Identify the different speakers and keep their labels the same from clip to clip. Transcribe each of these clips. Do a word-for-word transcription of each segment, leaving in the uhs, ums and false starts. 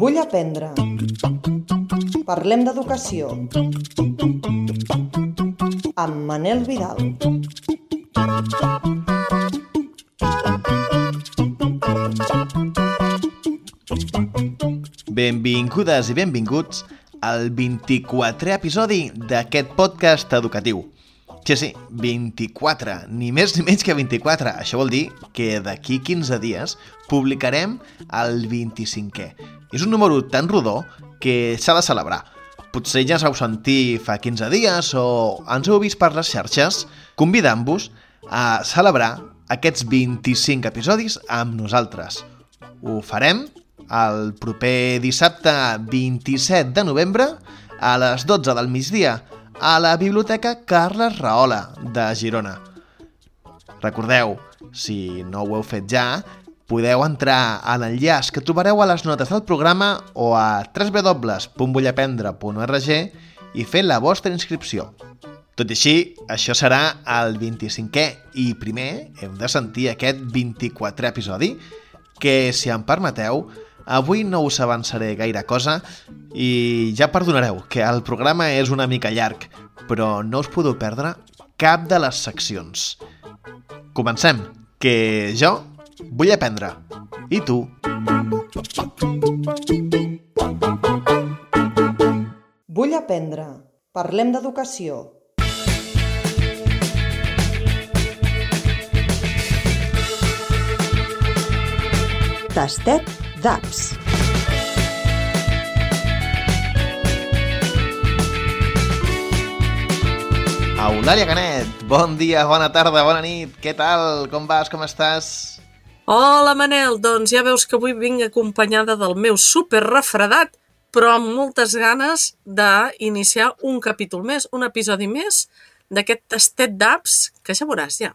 Speaker 1: Vull aprendre. Parlem d'educació. Amb Manel Vidal.
Speaker 2: Benvingudes i benvinguts al vint-i-quatrè episodi d'aquest podcast educatiu. Sí, sí, vint-i-quatre, ni més ni menys que vint-i-quatre. Això vol dir que d'aquí quinze dies publicarem el vint-i-cinquè. És un número tan rodó que s'ha de celebrar. Potser ja us heu sentit fa quinze dies o ens heu vist per les xarxes convidant-vos a celebrar aquests vint-i-cinc episodis amb nosaltres. Ho farem el proper dissabte vint-i-set de novembre a les dotze del migdia a la Biblioteca Carles Rahola de Girona. Recordeu, si no ho heu fet ja, podeu entrar a l'enllaç que trobareu a les notes del programa o a w w w punt vull aprendre punt org i fer la vostra inscripció. Tot i així, això serà el vint-i-cinquè i primer hem de sentir aquest vint-i-quatrè episodi que, si em permeteu, avui no us avançaré gaire cosa i ja perdonareu que el programa és una mica llarg, però no us podeu perdre cap de les seccions. Comencem, que jo vull aprendre. I tu?
Speaker 1: Vull aprendre. Parlem d'educació. Tastet d'apps.
Speaker 2: Eulàlia Canet, bon dia, bona tarda, bona nit, què tal? Com vas, com estàs?
Speaker 3: Hola Manel, doncs ja veus que avui vinc acompanyada del meu super refredat, però amb moltes ganes d'iniciar un capítol més, un episodi més d'aquest tastet d'apps, que ja veuràs ja.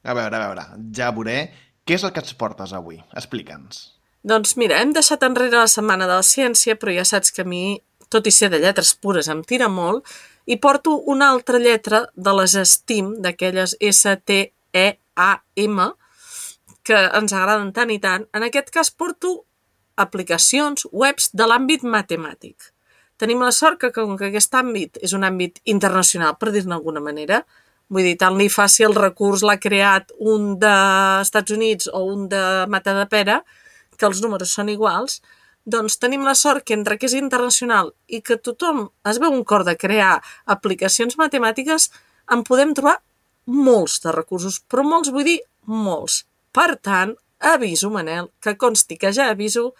Speaker 2: A veure, a veure, ja veuré. Què és el que ens portes avui? Explica'ns.
Speaker 3: Doncs mira, hem deixat enrere la setmana de la ciència, però ja saps que a mi, tot i ser de lletres pures, em tira molt, i porto una altra lletra de les STEAM, d'aquelles S T E A M, que ens agraden tant i tant. En aquest cas porto aplicacions, webs de l'àmbit matemàtic. Tenim la sort que, com que aquest àmbit és un àmbit internacional, per dir-ne d'alguna manera, vull dir, tant li faci el recurs l'ha creat un dels Estats Units o un de Matadepera, que els números són iguals, doncs tenim la sort que entre que és internacional i que tothom es veu un cor de crear aplicacions matemàtiques, en podem trobar molts de recursos, però molts vull dir molts. Per tant, aviso, Manel, que consti que ja aviso,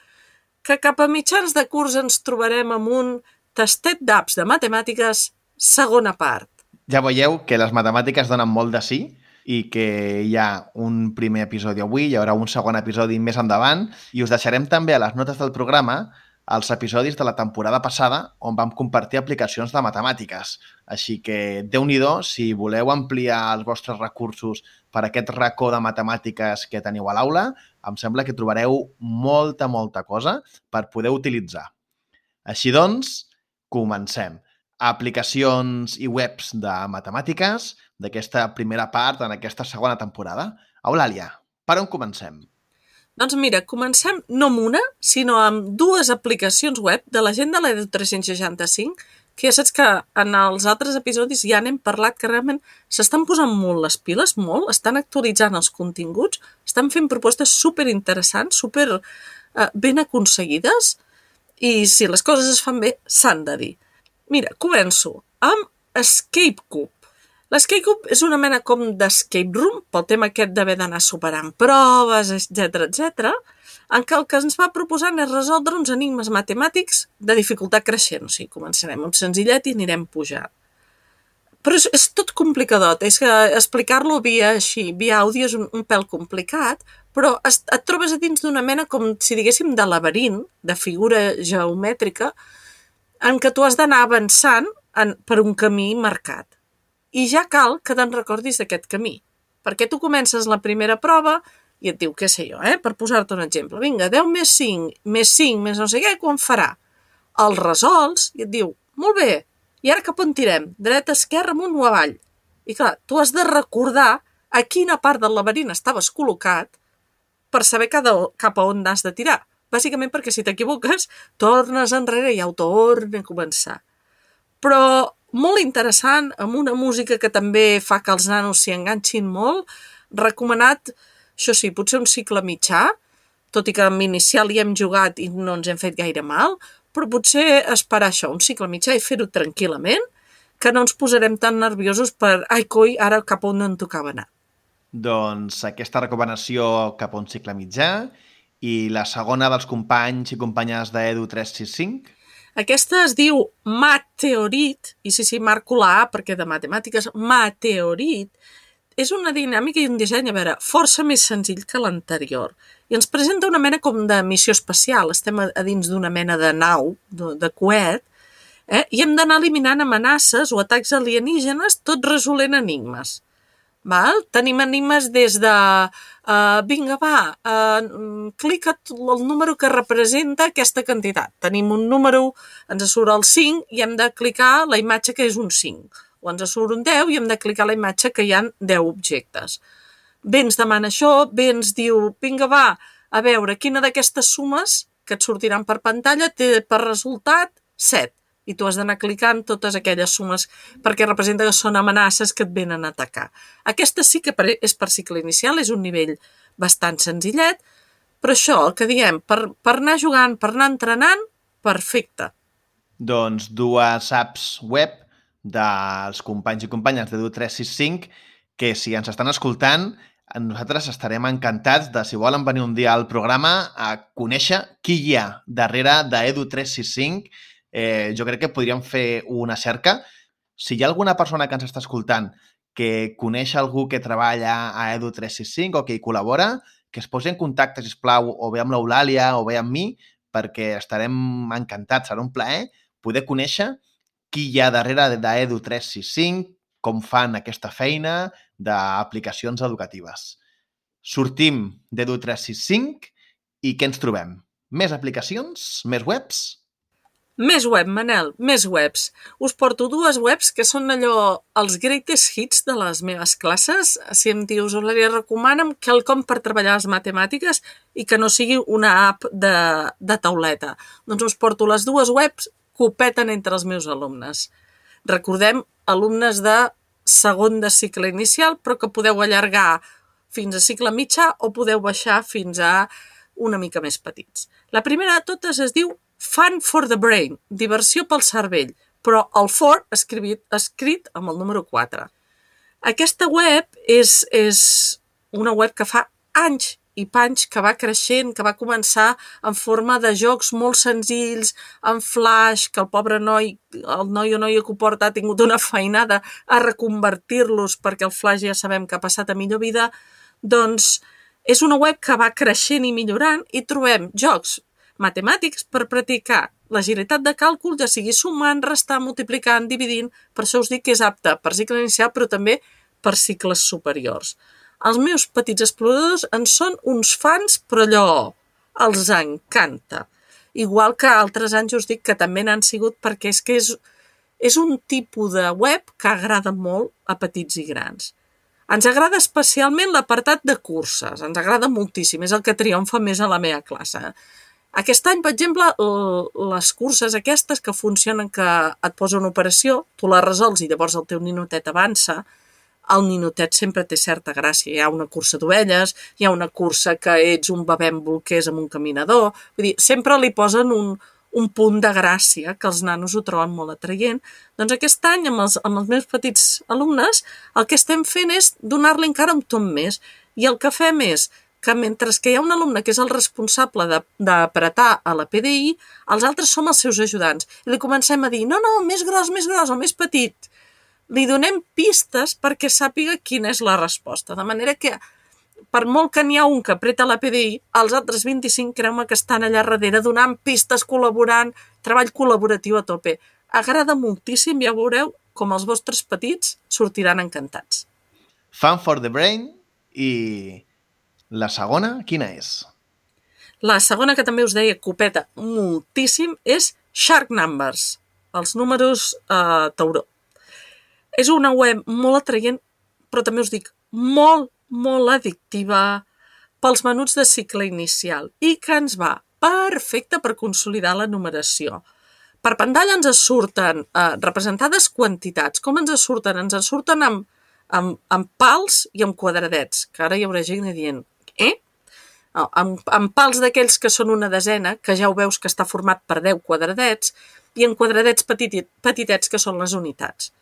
Speaker 3: que cap a mitjans de curs ens trobarem amb un tastet d'apps de matemàtiques segona part.
Speaker 2: Ja veieu que les matemàtiques donen molt de sí i que hi ha un primer episodi avui, hi haurà un segon episodi més endavant i us deixarem també a les notes del programa els episodis de la temporada passada on vam compartir aplicacions de matemàtiques. Així que, déu-n'hi-do, si voleu ampliar els vostres recursos per aquest racó de matemàtiques que teniu a l'aula, em sembla que trobareu molta, molta cosa per poder utilitzar. Així doncs, comencem. Aplicacions i webs de matemàtiques d'aquesta primera part en aquesta segona temporada. Eulàlia, per on comencem?
Speaker 3: Doncs mira, comencem no amb una, sinó amb dues aplicacions web de la gent de l'Edu tres-cents seixanta-cinc, que ja saps que en els altres episodis ja n'hem parlat, que realment s'estan posant molt les piles, molt, estan actualitzant els continguts, estan fent propostes superinteressants, super eh, ben aconseguides, i si les coses es fan bé, s'han de dir. Mira, començo amb Escape Cube. L'Escape Cube és una mena com d'escape room, pel tema aquest d'haver d'anar superant proves, etcètera, etcètera, en què el que ens va proposant és resoldre uns enigmes matemàtics de dificultat creixent. O sigui, començarem amb senzillet i anirem pujant. Però és, és tot complicadot, és que explicar-lo via així, via àudio és un, un pèl complicat, però es, et trobes a dins d'una mena com si diguéssim de laberint, de figura geomètrica, en què tu has d'anar avançant en, per un camí marcat. I ja cal que te'n recordis d'aquest camí, perquè tu comences la primera prova i et diu, què sé jo, eh? Per posar-te un exemple, vinga, deu més cinc, més cinc, més no sé què, quan farà? El resols i et diu, molt bé, i ara cap on tirem? Dreta, esquerra, amunt o avall? I clar, tu has de recordar a quina part del laberint estaves col·locat per saber cada, cap a on has de tirar. Bàsicament perquè si t'equivoques, tornes enrere i ja ho torna a començar. Però molt interessant, amb una música que també fa que els nanos s'hi enganxin molt, recomanat, això sí, potser un cicle mitjà, tot i que amb inicial hi hem jugat i no ens hem fet gaire mal, però potser esperar això, un cicle mitjà i fer-ho tranquil·lament, que no ens posarem tan nerviosos per, ai coi, ara cap on no en tocava anar.
Speaker 2: Doncs aquesta recomanació cap a un cicle mitjà i la segona dels companys i companyes d'Edu tres sis cinc.
Speaker 3: Aquesta es diu Mateorit, i sí, sí, marco la A perquè de matemàtiques, Mateorit, és una dinàmica i un disseny, a veure, força més senzill que l'anterior. I ens presenta una mena com de missió espacial. Estem a, a dins d'una mena de nau, de, de coet, eh? I hem d'anar eliminant amenaces o atacs alienígenes, tot resolent enigmes. Val? Tenim enigmes des de uh, vinga, va, uh, clica el número que representa aquesta quantitat. Tenim un número, ens surt el cinc i hem de clicar la imatge que és un cinc. O ens surt un deu i hem de clicar la imatge que hi ha deu objectes. Bé ens demana això, bé ens diu, vinga, va, a veure, quina d'aquestes sumes que et sortiran per pantalla té per resultat set. I tu has d'anar clicant totes aquelles sumes perquè representa que són amenaces que et venen a atacar. Aquesta sí que és per cicle inicial, és un nivell bastant senzillet, però això, el que diem, per, per anar jugant, per anar entrenant, perfecte.
Speaker 2: Doncs dues apps web dels companys i companyes d'Edu tres sis cinc que si ens estan escoltant, nosaltres estarem encantats de, si volen venir un dia al programa, a conèixer qui hi ha darrere d'Edu tres sis cinc. Eh, jo crec que podríem fer una cerca. Si hi ha alguna persona que ens està escoltant que coneix algú que treballa a Edu tres sis cinc o que hi col·labora, que es posi en contacte, sisplau, o bé amb l'Eulàlia o bé amb mi, perquè estarem encantats. Serà un plaer poder conèixer qui hi ha darrere d'Edu tres sis cinc, com fan aquesta feina d'aplicacions educatives. Sortim d'Edu tres sis cinc i què ens trobem? Més aplicacions? Més webs?
Speaker 3: Més web, Manel, més webs. Us porto dues webs que són allò, els greatest hits de les meves classes. Si em dius, Eulàlia, recomana'm quelcom per treballar les matemàtiques i que no sigui una app de, de tauleta. Doncs us porto les dues webs que ho peten entre els meus alumnes. Recordem, alumnes de segon de cicle inicial, però que podeu allargar fins a cicle mitjà o podeu baixar fins a una mica més petits. La primera de totes es diu Fun for the Brain, diversió pel cervell, però el for escrit, escrit amb el número quatre. Aquesta web és, és una web que fa anys i panys que va creixent, que va començar en forma de jocs molt senzills, en flash, que el pobre noi, el noi o noia que ho porta ha tingut una feinada a reconvertir-los perquè el flash ja sabem que ha passat a millor vida, doncs és una web que va creixent i millorant i trobem jocs matemàtics per practicar l'agilitat de càlcul, ja sigui sumant, restant, multiplicant, dividint. Per això us dic que és apte per cicle inicial, però també per cicles superiors. Els meus petits exploradors en són uns fans, però allò els encanta. Igual que altres anys us dic que també n'han sigut perquè és que és, és un tipus de web que agrada molt a petits i grans. Ens agrada especialment l'apartat de curses, ens agrada moltíssim, és el que triomfa més a la meva classe. Aquest any, per exemple, les curses aquestes que funcionen que et posa una operació, tu la resols i llavors el teu ninotet avança, el ninotet sempre té certa gràcia. Hi ha una cursa d'ovelles, hi ha una cursa que ets un bebè amb bolquers amb un caminador, vull dir, sempre li posen un, un punt de gràcia que els nanos ho troben molt atraient. Doncs aquest any, amb els, amb els meus petits alumnes, el que estem fent és donar-li encara un tom més. I el que fem és que mentre que hi ha un alumne que és el responsable d'apretar a la P D I, els altres som els seus ajudants. I li comencem a dir, no, no, més gros, més gros, o més petit. Li donem pistes perquè sàpiga quina és la resposta. De manera que, per molt que n'hi ha un que apreta la P D I, els altres vint-i-cinc creu-me que estan allà darrere donant pistes, col·laborant, treball col·laboratiu a tope. Agrada moltíssim, ja veureu com els vostres petits sortiran encantats.
Speaker 2: Fun for the Brain i... la segona, quina és?
Speaker 3: La segona, que també us deia copeta moltíssim, és Shark Numbers, els números eh, tauró. És una web molt atraient, però també us dic molt, molt addictiva pels menuts de cicle inicial i que ens va perfecte per consolidar la numeració. Per pantalla ens surten eh, representades quantitats. Com ens surten? Ens surten amb, amb, amb pals i amb quadradets, que ara hi haurà gent dient, eh? No, amb, amb pals d'aquells que són una desena, que ja ho veus que està format per deu quadradets, i en quadradets petit, petitets, que són les unitats.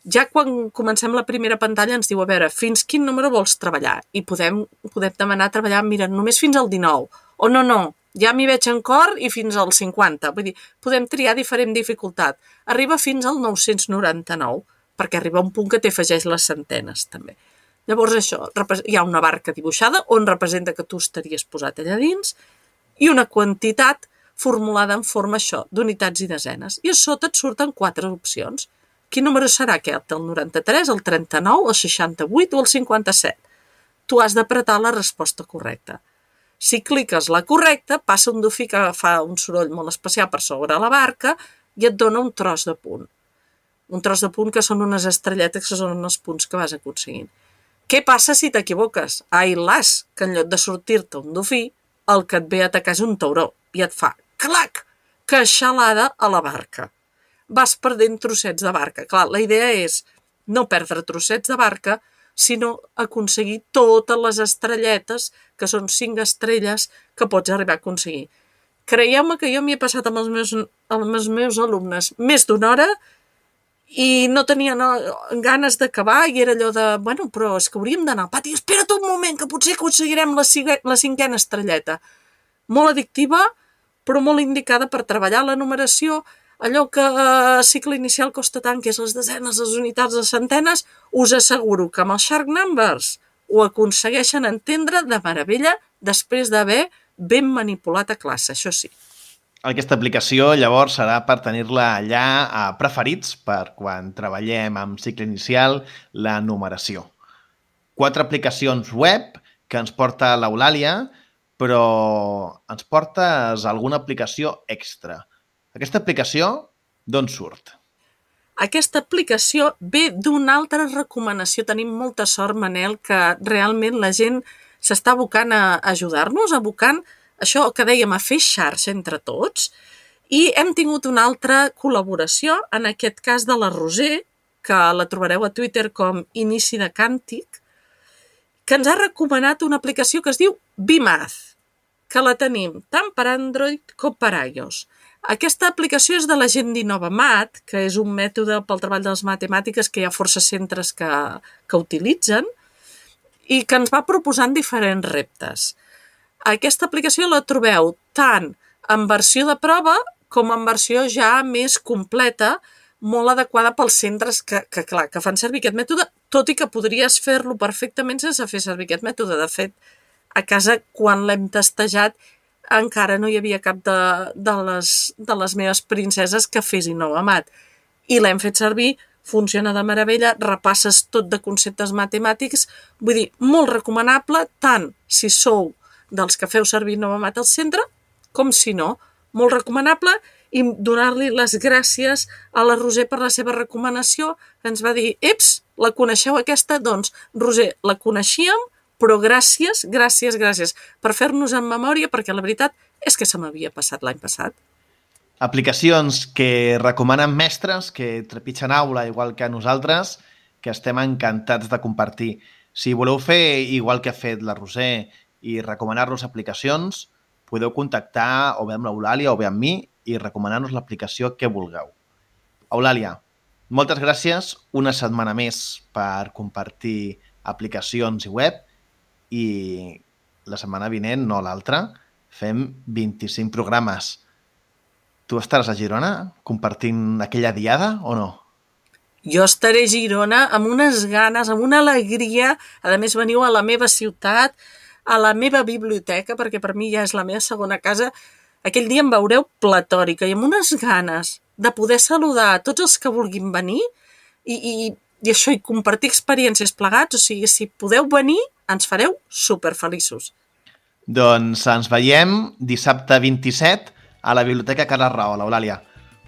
Speaker 3: Ja quan comencem la primera pantalla ens diu, a veure, fins quin número vols treballar? I podem, podem demanar treballar, mira, només fins al dinou. O no, no, ja m'hi veig en cor i fins al cinquanta. Vull dir, podem triar diferent dificultat. Arriba fins al nou-cents noranta-nou, perquè arriba un punt que t'afegeix les centenes, també. Llavors això, hi ha una barca dibuixada on representa que tu estaries posat allà dins i una quantitat formulada en forma això, d'unitats i desenes. I a sota et surten quatre opcions. Quin número serà aquest? El noranta-tres, el trenta-nou, el seixanta-vuit o el cinquanta-set? Tu has d'apretar la resposta correcta. Si cliques la correcta, passa un dofí que fa un soroll molt especial per sobre la barca i et dona un tros de punt. Un tros de punt que són unes estrelletes que són els punts que vas aconseguint. Què passa si t'equivoques? Ai, las, que en lloc de sortir-te un dofí, el que et ve a atacar és un tauró i et fa clac, queixalada a la barca. Vas perdent trossets de barca. Clar, la idea és no perdre trossets de barca, sinó aconseguir totes les estrelletes, que són cinc estrelles, que pots arribar a aconseguir. Creieu-me que jo m'hi he passat amb els meus, amb els meus alumnes més d'una hora i no tenia no, ganes d'acabar i era allò de, bueno, però és que hauríem d'anar al pati, espera't un moment, que potser aconseguirem la, la cinquena estrelleta. Molt addictiva, però molt indicada per treballar la numeració, allò que a cicle inicial costa tant, que és les desenes, les unitats, les centenes, us asseguro que amb els Shark Numbers ho aconsegueixen entendre de meravella després d'haver ben manipulat a classe, això sí.
Speaker 2: Aquesta aplicació, llavors, serà per tenir-la allà a preferits per quan treballem amb cicle inicial la numeració. Quatre aplicacions web que ens porta l'Eulàlia, però ens portes alguna aplicació extra. Aquesta aplicació, d'on surt?
Speaker 3: Aquesta aplicació ve d'una altra recomanació. Tenim molta sort, Manel, que realment la gent s'està abocant a ajudar-nos, abocant això que dèiem, a fer xarxa entre tots, i hem tingut una altra col·laboració, en aquest cas de la Roser, que la trobareu a Twitter com Inici de Càntic, que ens ha recomanat una aplicació que es diu BeMath, que la tenim tant per Android com per iOS. Aquesta aplicació és de la gent d'InnovaMath, que és un mètode pel treball de les matemàtiques que hi ha força centres que, que utilitzen, i que ens va proposant diferents reptes. Aquesta aplicació la trobeu tant en versió de prova com en versió ja més completa, molt adequada pels centres que, que, clar, que fan servir aquest mètode, tot i que podries fer-lo perfectament sense fer servir aquest mètode. De fet, a casa, quan l'hem testejat, encara no hi havia cap de, de, les, de les meves princeses que fes InnovaMath. I l'hem fet servir, funciona de meravella, repasses tot de conceptes matemàtics, vull dir, molt recomanable, tant si sou dels que feu servir InnovaMath al centre, com si no, molt recomanable, i donar-li les gràcies a la Roser per la seva recomanació, que ens va dir, eps, la coneixeu aquesta? Doncs, Roser, la coneixíem, però gràcies, gràcies, gràcies per fer-nos en memòria, perquè la veritat és que se m'havia passat l'any passat.
Speaker 2: Aplicacions que recomanen mestres, que trepitgen aula igual que nosaltres, que estem encantats de compartir. Si voleu fer igual que ha fet la Roser i recomanar-nos aplicacions, podeu contactar o bé amb l'Eulàlia o bé amb mi i recomanar-nos l'aplicació que vulgueu. Eulàlia, moltes gràcies una setmana més per compartir aplicacions i web i la setmana vinent, no l'altra, fem vint-i-cinc programes. Tu estaràs a Girona compartint aquella diada o no?
Speaker 3: Jo estaré a Girona amb unes ganes, amb una alegria. A més, veniu a la meva ciutat, a la meva biblioteca, perquè per mi ja és la meva segona casa. Aquell dia em veureu platòrica i amb unes ganes de poder saludar a tots els que vulguin venir i, i, i això, i compartir experiències plegats. O sigui, si podeu venir, ens fareu superfeliços.
Speaker 2: Doncs ens veiem dissabte vint-i-set a la Biblioteca Carles Rao, l'Eulàlia.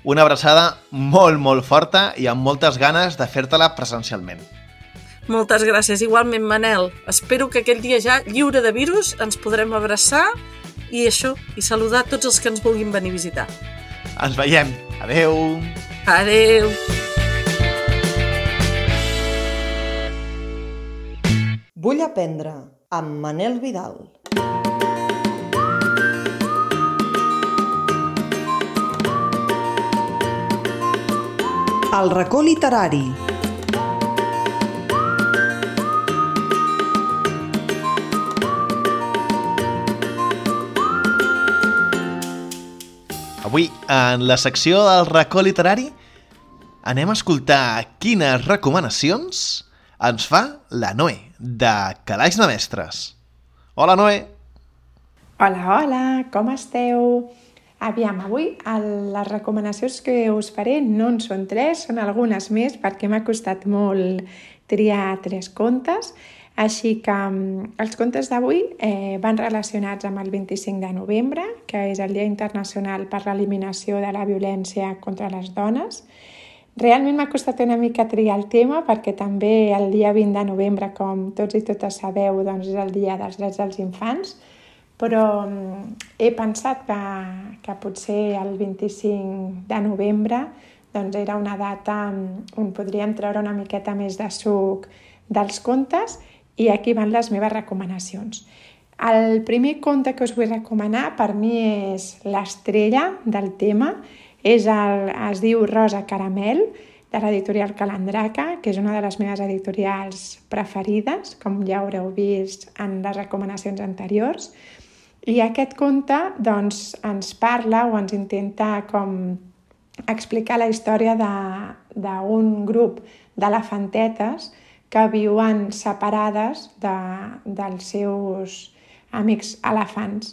Speaker 2: Una abraçada molt, molt forta i amb moltes ganes de fer-te-la presencialment.
Speaker 3: Moltes gràcies. Igualment, Manel. Espero que aquell dia ja, lliure de virus, ens podrem abraçar i això, i saludar tots els que ens vulguin venir a visitar.
Speaker 2: Ens veiem. Adeu.
Speaker 3: Adeu.
Speaker 1: Vull aprendre, amb Manel Vidal. El racó literari.
Speaker 2: Avui, en la secció del racó literari, anem a escoltar quines recomanacions ens fa la Noé, de Calaix de Mestres. Hola, Noé!
Speaker 4: Hola, hola, com esteu? Aviam, avui el, les recomanacions que us faré no en són tres, són algunes més perquè m'ha costat molt triar tres contes. Així que els contes d'avui eh, van relacionats amb el vint-i-cinc de novembre, que és el Dia Internacional per l'Eliminació de la Violència contra les Dones. Realment m'ha costat una mica triar el tema perquè també el dia vint de novembre, com tots i totes sabeu, doncs és el Dia dels Drets dels Infants, però he pensat que, que potser el vint-i-cinc de novembre doncs era una data on podríem treure una miqueta més de suc dels contes. I aquí van les meves recomanacions. El primer conte que us vull recomanar per mi és l'estrella del tema. És el, es diu Rosa Caramel, de l'editorial Calandraca, que és una de les meves editorials preferides, com ja haureu vist en les recomanacions anteriors. I aquest conte doncs, ens parla o ens intenta com explicar la història d'un grup d'elefantetes que viuen separades de, dels seus amics elefants.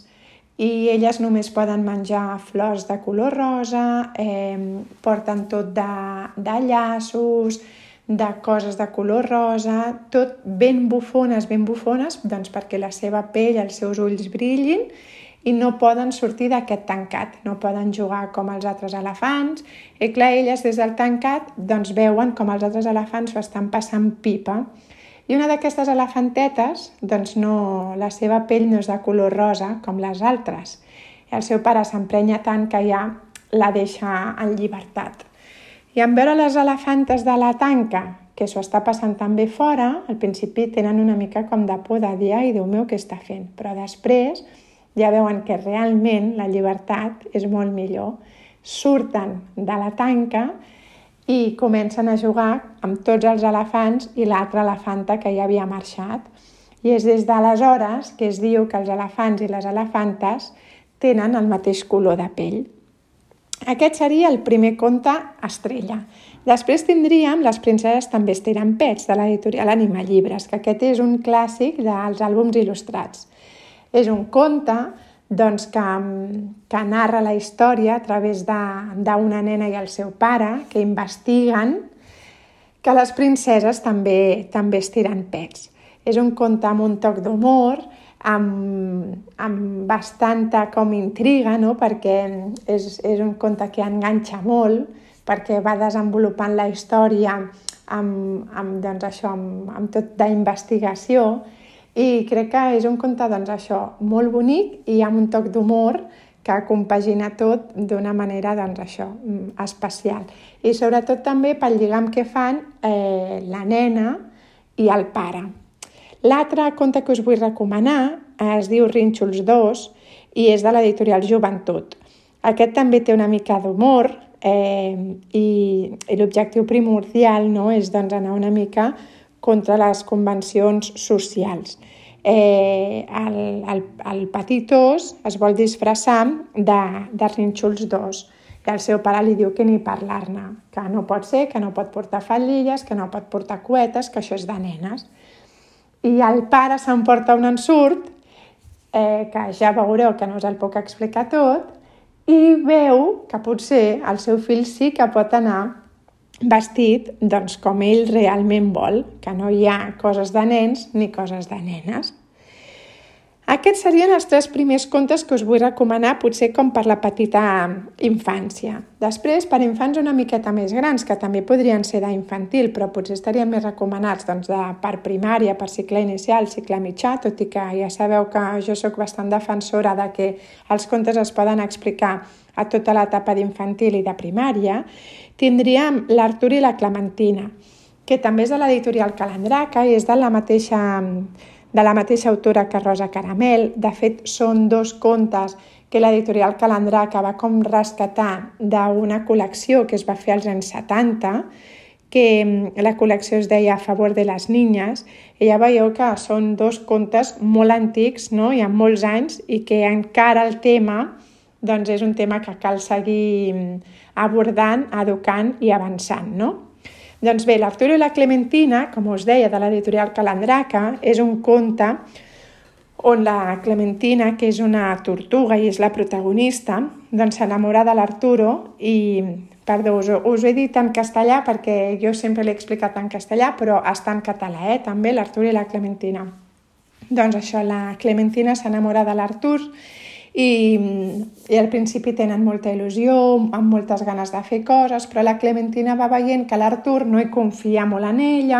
Speaker 4: I elles només poden menjar flors de color rosa, eh, porten tot de, de llaços, de coses de color rosa, tot ben bufones, ben bufones, doncs perquè la seva pell, els seus ulls brillin, i no poden sortir d'aquest tancat, no poden jugar com els altres elefants. I clar, elles des del tancat doncs, veuen com els altres elefants ho estan passant pipa. I una d'aquestes elefantetes, doncs no, la seva pell no és de color rosa com les altres. I el seu pare s'emprenya tant que ja la deixa en llibertat. I en veure les elefantes de la tanca, que s'ho està passant també fora, al principi tenen una mica com de por de dir «Ai, Déu meu, què està fent?» Però després ja veuen que realment la llibertat és molt millor. Surten de la tanca i comencen a jugar amb tots els elefants i l'altra elefanta que ja havia marxat. I és des d'aleshores que es diu que els elefants i les elefantes tenen el mateix color de pell. Aquest seria el primer conte estrella. Després tindríem Les princeses també estiren pets, de l'editorial Anima Llibres, que aquest és un clàssic dels àlbums il·lustrats. És un conte doncs, que, que narra la història a través d'una nena i el seu pare que investiguen que les princeses també, també estiren pets. És un conte amb un toc d'humor, amb, amb bastanta com intriga, no? Perquè és, és un conte que enganxa molt, perquè va desenvolupant la història amb, amb, doncs això, amb, amb tot d'investigació. I crec que és un conte doncs, això, molt bonic i amb un toc d'humor que compagina tot d'una manera doncs, això, especial. I sobretot també pel lligam que fan eh, la nena i el pare. L'altre conte que us vull recomanar es diu Rínxols dos i és de l'editorial Joventut. Aquest també té una mica d'humor eh, i, i l'objectiu primordial no, és doncs, anar una mica contra les convencions socials. Eh, el, el, el petit os es vol disfressar de, de Rínxols dos i el seu pare li diu que ni parlar-ne, que no pot ser, que no pot portar faldilles, que no pot portar cuetes, que això és de nenes. I el pare s'emporta un ensurt, eh, que ja veureu que no us el puc explicar tot, i veu que potser el seu fill sí que pot anar vestit doncs, com ell realment vol, que no hi ha coses de nens ni coses de nenes. Aquests serien els tres primers contes que us vull recomanar, potser com per la petita infància. Després, per infants una miqueta més grans, que també podrien ser d'infantil, però potser estarien més recomanats doncs, de, per primària, per cicle inicial, cicle mitjà, tot i que ja sabeu que jo sóc bastant defensora de que els contes es poden explicar a tota l'etapa d'infantil i de primària, tindríem l'Artur i la Clementina, que també és de l'editorial Calandraca i és de la mateixa... de la mateixa autora que Rosa Caramel. De fet, són dos contes que l'editorial Calandraca va com rescatar d'una col·lecció que es va fer als anys setanta, que la col·lecció es deia A favor de les niñas, i ja veieu que són dos contes molt antics, no? I amb molts anys, i que encara el tema doncs és un tema que cal seguir abordant, educant i avançant, no? Doncs bé, l'Artur i la Clementina, com us deia, de l'editorial Calandraca, és un conte on la Clementina, que és una tortuga i és la protagonista, doncs s'enamora de l'Arturo i, perdó, us, us ho he dit en castellà perquè jo sempre l'he explicat en castellà, però està en català, eh, també, l'Artur i la Clementina. Doncs això, la Clementina s'enamora de l'Artur i, i al principi tenen molta il·lusió, amb moltes ganes de fer coses, però la Clementina va veient que l'Artur no hi confia molt en ella,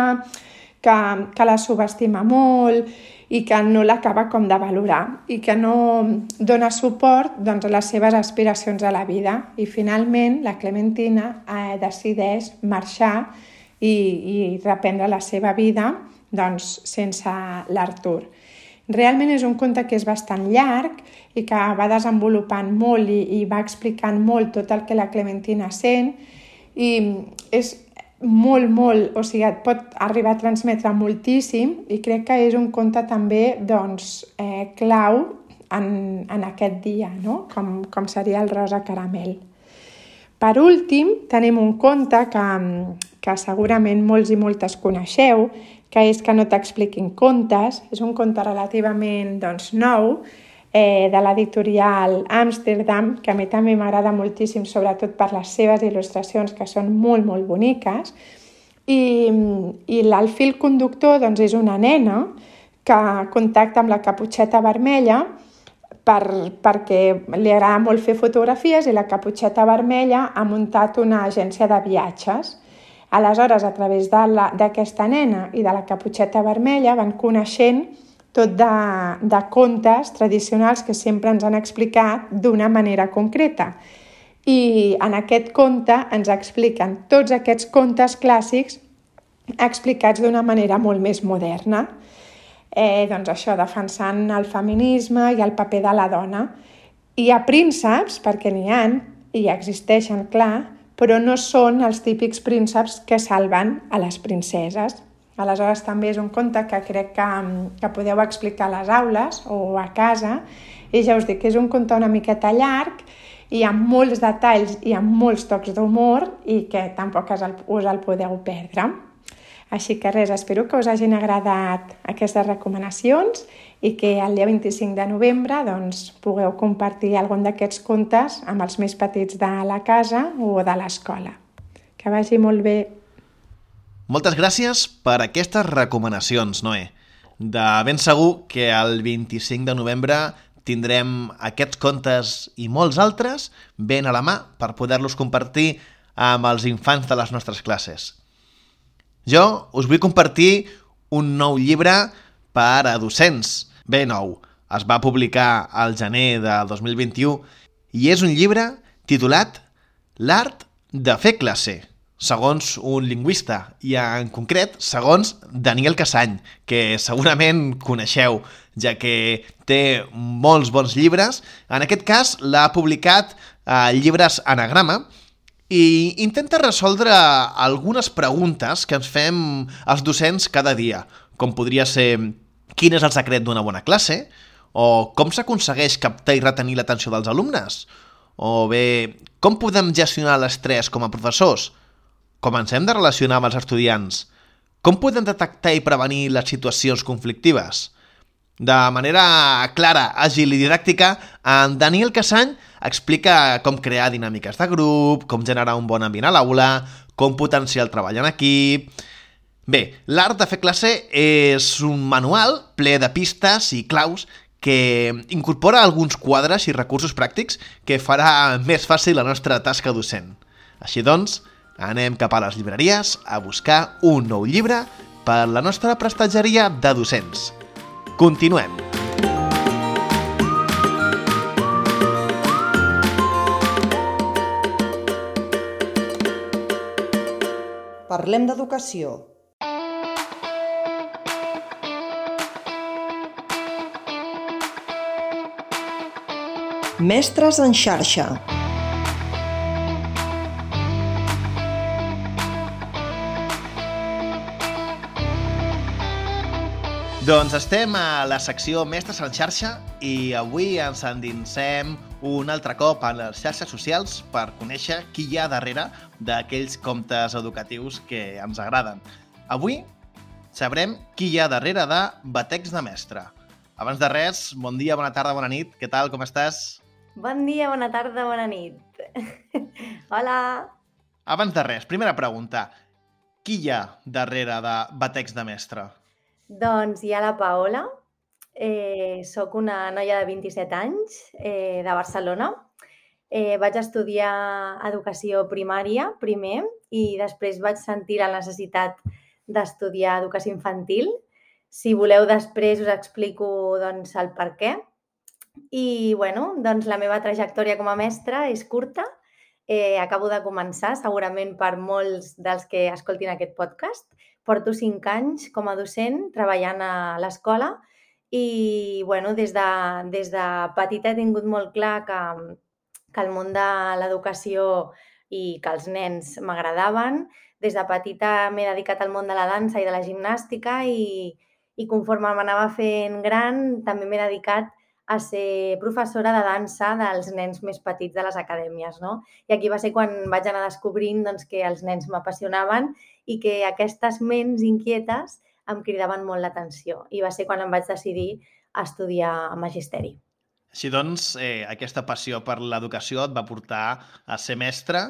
Speaker 4: que, que la subestima molt i que no l'acaba com de valorar i que no dona suport doncs, a les seves aspiracions a la vida. I finalment la Clementina eh, decideix marxar i, i reprendre la seva vida doncs, sense l'Artur. Realment és un conte que és bastant llarg i que va desenvolupant molt i, i va explicant molt tot el que la Clementina sent i és molt, molt, o sigui, et pot arribar a transmetre moltíssim i crec que és un conte també doncs, eh, clau en, en aquest dia, no? com, com seria el Rosa Caramel. Per últim, tenim un conte que, que segurament molts i moltes coneixeu, que és Que no t'expliquin contes. És un conte relativament doncs, nou, eh, de l'editorial Amsterdam, que a mi també m'agrada moltíssim, sobretot per les seves il·lustracions, que són molt, molt boniques. I, i el fil conductor doncs, és una nena que contacta amb la Caputxeta Vermella per, perquè li agrada molt fer fotografies i la Caputxeta Vermella ha muntat una agència de viatges. Aleshores, a través d'aquesta nena i de la Caputxeta Vermella van coneixent tot de, de contes tradicionals que sempre ens han explicat d'una manera concreta. I en aquest conte ens expliquen tots aquests contes clàssics explicats d'una manera molt més moderna. Eh, doncs això, defensant el feminisme i el paper de la dona. Hi ha prínceps, perquè n'hi ha, i existeixen, clar, però no són els típics prínceps que salven a les princeses. Aleshores, també és un conte que crec que, que podeu explicar a les aules o a casa, i ja us dic que és un conte una miqueta llarg i amb molts detalls i amb molts tocs d'humor i que tampoc us el, us el podeu perdre. Així que res, espero que us hagin agradat aquestes recomanacions i que el dia vint-i-cinc de novembre doncs, pugueu compartir algun d'aquests contes amb els més petits de la casa o de l'escola. Que vagi molt bé.
Speaker 2: Moltes gràcies per aquestes recomanacions, Noé. De ben segur que el vint-i-cinc de novembre tindrem aquests contes i molts altres ben a la mà per poder-los compartir amb els infants de les nostres classes. Jo us vull compartir un nou llibre per a docents, ben nou. Es va publicar al gener del dos mil vint-i-u i és un llibre titulat L'art de fer classe, segons un lingüista, i en concret segons Daniel Casany, que segurament coneixeu, ja que té molts bons llibres. En aquest cas l'ha publicat a Llibres Anagrama, i intenta resoldre algunes preguntes que ens fem els docents cada dia, com podria ser quin és el secret d'una bona classe, o com s'aconsegueix captar i retenir l'atenció dels alumnes, o bé, com podem gestionar l'estrès com a professors, com ens hem de relacionar amb els estudiants, com podem detectar i prevenir les situacions conflictives. De manera clara, àgil i didàctica, en Daniel Casany explica com crear dinàmiques de grup, com generar un bon ambient a l'aula, com potenciar el treball en equip. Bé, l'art de fer classe és un manual ple de pistes i claus que incorpora alguns quadres i recursos pràctics que farà més fàcil la nostra tasca docent. Així doncs, anem cap a les llibreries a buscar un nou llibre per la nostra prestatgeria de docents. Continuem!
Speaker 1: Parlem d'educació. Mestres en xarxa.
Speaker 2: Doncs estem a la secció Mestres en xarxa i avui ens endinsem un altre cop a les xarxes socials per conèixer qui hi ha darrere d'aquells comptes educatius que ens agraden. Avui sabrem qui hi ha darrere de Batecs de Mestre. Abans de res, bon dia, bona tarda, bona nit. Què tal, com estàs?
Speaker 5: Bon dia, bona tarda, bona nit. Hola.
Speaker 2: Abans de res, primera pregunta. Qui hi ha darrere de Batecs de Mestre?
Speaker 5: Doncs hi ha la Paola. Eh, soc una noia de vint-i-set anys, eh, de Barcelona. Eh, vaig estudiar educació primària primer i després vaig sentir la necessitat d'estudiar educació infantil. Si voleu, després us explico doncs, el per què. I, bueno, doncs la meva trajectòria com a mestra és curta. Eh, acabo de començar, segurament per molts dels que escoltin aquest podcast. Porto cinc anys com a docent treballant a l'escola i, bueno, des de, des de petita he tingut molt clar que, que el món de l'educació i que els nens m'agradaven. Des de petita m'he dedicat al món de la dansa i de la gimnàstica i, i conforme m'anava fent gran també m'he dedicat a ser professora de dansa dels nens més petits de les acadèmies, no? I aquí va ser quan vaig anar descobrint doncs, que els nens m'apassionaven i que aquestes ments inquietes em cridaven molt l'atenció. I va ser quan em vaig decidir a estudiar magisteri.
Speaker 2: Així doncs, eh, aquesta passió per l'educació et va portar a ser mestra.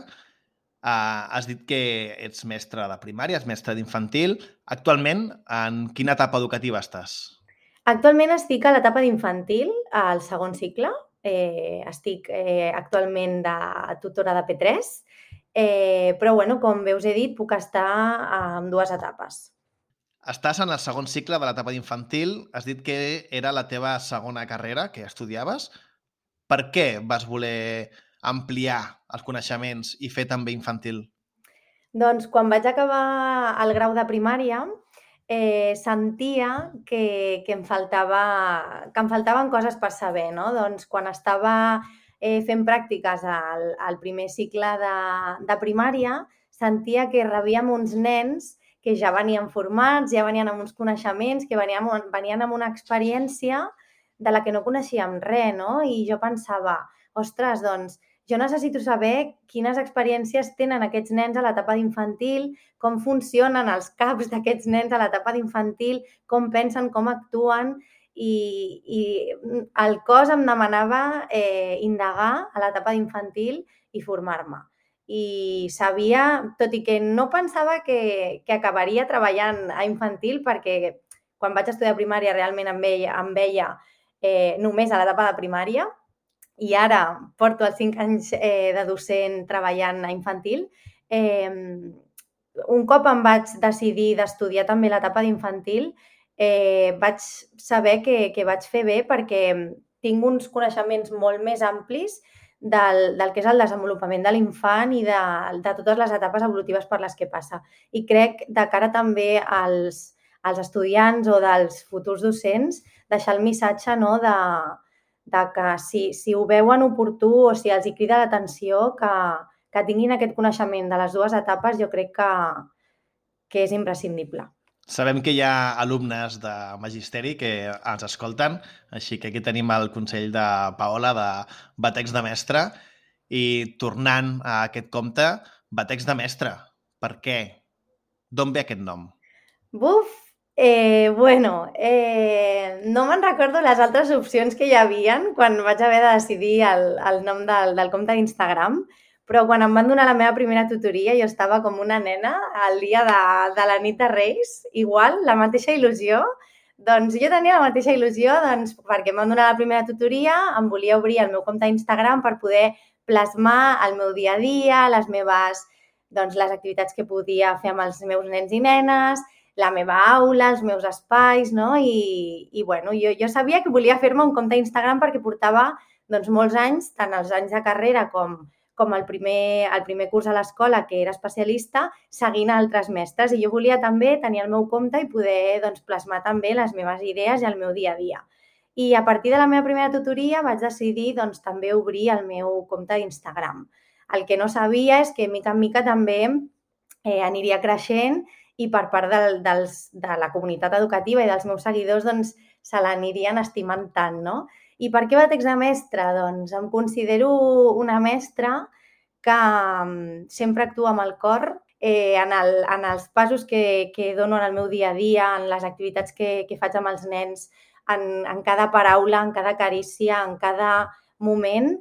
Speaker 2: Uh, has dit que ets mestra de primària, ets mestra d'infantil. Actualment, en quina etapa educativa estàs?
Speaker 5: Actualment estic a l'etapa d'infantil, al segon cicle. Eh, estic eh, actualment de tutora de P tres, eh, però bueno, com bé us he dit, puc estar en dues etapes.
Speaker 2: Estàs en el segon cicle de l'etapa d'infantil. Has dit que era la teva segona carrera que estudiaves. Per què vas voler ampliar els coneixements i fer també infantil?
Speaker 5: Doncs quan vaig acabar el grau de primària, Eh, sentia que, que, em faltava, que em faltaven coses per saber, no? Doncs quan estava eh, fent pràctiques al, al primer cicle de, de primària, sentia que rebíem uns nens que ja venien formats, ja venien amb uns coneixements, que venien, venien amb una experiència de la que no coneixíem res, no? I jo pensava, ostres, doncs, jo necessito saber quines experiències tenen aquests nens a l'etapa d'infantil, com funcionen els caps d'aquests nens a l'etapa d'infantil, com pensen, com actuen, i, i el cos em demanava eh, indagar a l'etapa d'infantil i formar-me. I sabia, tot i que no pensava que, que acabaria treballant a infantil, perquè quan vaig estudiar primària realment em veia, em veia eh, només a l'etapa de primària, i ara porto els cinc anys eh, de docent treballant a infantil. Eh, un cop em vaig decidir d'estudiar també l'etapa d'infantil, eh, vaig saber que, que vaig fer bé perquè tinc uns coneixements molt més amplis del, del que és el desenvolupament de l'infant i de, de totes les etapes evolutives per les que passa. I crec, de cara també als, als estudiants o dels futurs docents, deixar el missatge, no, de de que si, si ho veuen oportú o si els hi crida l'atenció que, que tinguin aquest coneixement de les dues etapes, jo crec que, que és imprescindible.
Speaker 2: Sabem que hi ha alumnes de magisteri que ens escolten, així que aquí tenim el consell de Paola de Batecs de Mestre. I tornant a aquest compte, Batecs de Mestre, per què? D'on ve aquest nom?
Speaker 5: Buf! Eh, bueno, eh, no me'n recordo les altres opcions que hi havia quan vaig haver de decidir el, el nom del, del compte d'Instagram, però quan em van donar la meva primera tutoria jo estava com una nena el dia de, de la nit de Reis, igual, la mateixa il·lusió Doncs jo tenia la mateixa il·lusió doncs, perquè em van donar la primera tutoria, em volia obrir el meu compte d'Instagram per poder plasmar el meu dia a dia, les meves, doncs, les activitats que podia fer amb els meus nens i nenes, la meva aula, els meus espais, no? I, i bueno, jo, jo sabia que volia fer-me un compte d'Instagram perquè portava doncs, molts anys, tant els anys de carrera com, com el, primer, el primer curs a l'escola, que era especialista, seguint altres mestres. I jo volia també tenir el meu compte i poder doncs, plasmar també les meves idees i el meu dia a dia. I a partir de la meva primera tutoria vaig decidir doncs, també obrir el meu compte d'Instagram. El que no sabia és que, mica en mica, també eh, aniria creixent i per part de, dels, de la comunitat educativa i dels meus seguidors doncs, se l'anirien estimant tant, no? I per què Batecs de mestra? Doncs em considero una mestra que sempre actua amb el cor eh, en, el, en els passos que, que dono en el meu dia a dia, en les activitats que, que faig amb els nens, en, en cada paraula, en cada carícia, en cada moment.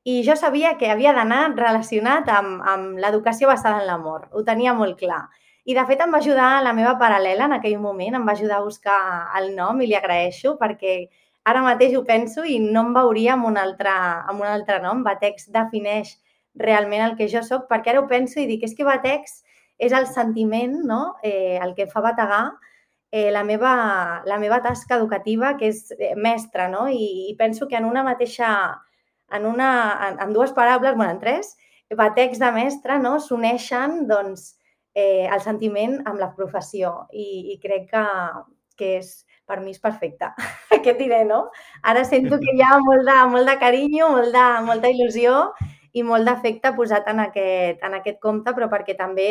Speaker 5: I jo sabia que havia d'anar relacionat amb, amb l'educació basada en l'amor. Ho tenia molt clar. I, de fet, em va ajudar la meva paral·lela en aquell moment, em va ajudar a buscar el nom i li agraeixo perquè ara mateix ho penso i no em veuria amb un altre, amb un altre nom. Batecs defineix realment el que jo soc, perquè ara ho penso i dic, és que Batecs és el sentiment, no? eh, el que fa bategar eh, la, meva, la meva tasca educativa, que és mestra, no? I, i penso que en una mateixa, en, una, en, en dues paraules, bueno, en tres, Batecs de mestra, no? S'uneixen, doncs, Eh, el sentiment amb la professió i, i crec que, que és, per mi és perfecte. Què et diré, no? Ara sento que hi ha molt de, molt de carinyo, molt de, molta il·lusió i molt d'afecte posat en aquest, en aquest compte, però perquè també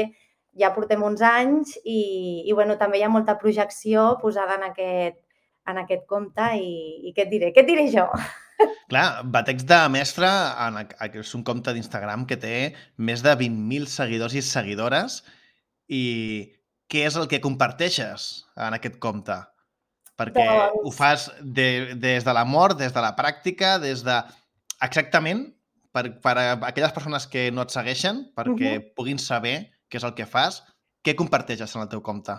Speaker 5: ja portem uns anys i, i bueno, també hi ha molta projecció posada en aquest, en aquest compte i, i què et diré? Què et diré jo?
Speaker 2: Clar, Batecs de mestra és un compte d'Instagram que té més de vint mil seguidors i seguidores. I què és el que comparteixes en aquest compte? Perquè doncs... ho fas de, des de l'amor, des de la pràctica, des de... Exactament, per, per a aquelles persones que no et segueixen, perquè uh-huh. puguin saber què és el que fas, què comparteixes en el teu compte?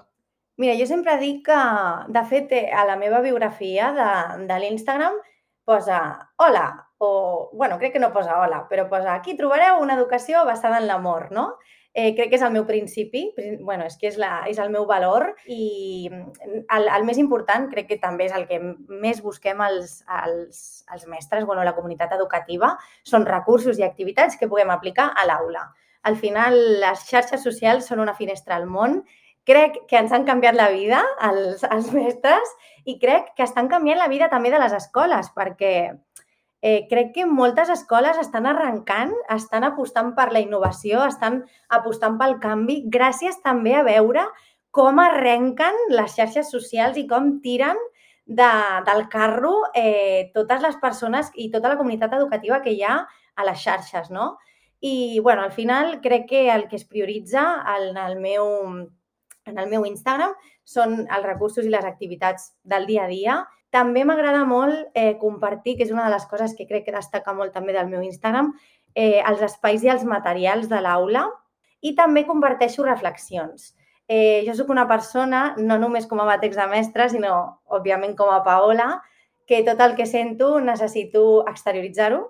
Speaker 5: Mira, jo sempre dic que, de fet, a la meva biografia de, de l'Instagram posa hola, o, bueno, crec que no posa hola, però posa aquí trobareu una educació basada en l'amor, no? Eh, crec que és el meu principi, bueno, és que és, la, és el meu valor i el, el més important, crec que també és el que més busquem els, els, els mestres, bueno, la comunitat educativa, són recursos i activitats que puguem aplicar a l'aula. Al final, les xarxes socials són una finestra al món. Crec que ens han canviat la vida als, als mestres i crec que estan canviant la vida també de les escoles, perquè Eh, crec que moltes escoles estan arrencant, estan apostant per la innovació, estan apostant pel canvi, gràcies també a veure com arrenquen les xarxes socials i com tiren de, del carro eh, totes les persones i tota la comunitat educativa que hi ha a les xarxes, no? I, bueno, al final crec que el que es prioritza en el meu, en el meu Instagram són els recursos i les activitats del dia a dia. També m'agrada molt eh, compartir, que és una de les coses que crec que destaca molt també del meu Instagram, eh, els espais i els materials de l'aula i també comparteixo reflexions. Eh, jo soc una persona, no només com a Batecs de mestra, sinó, òbviament, com a Paola, que tot el que sento necessito exterioritzar-ho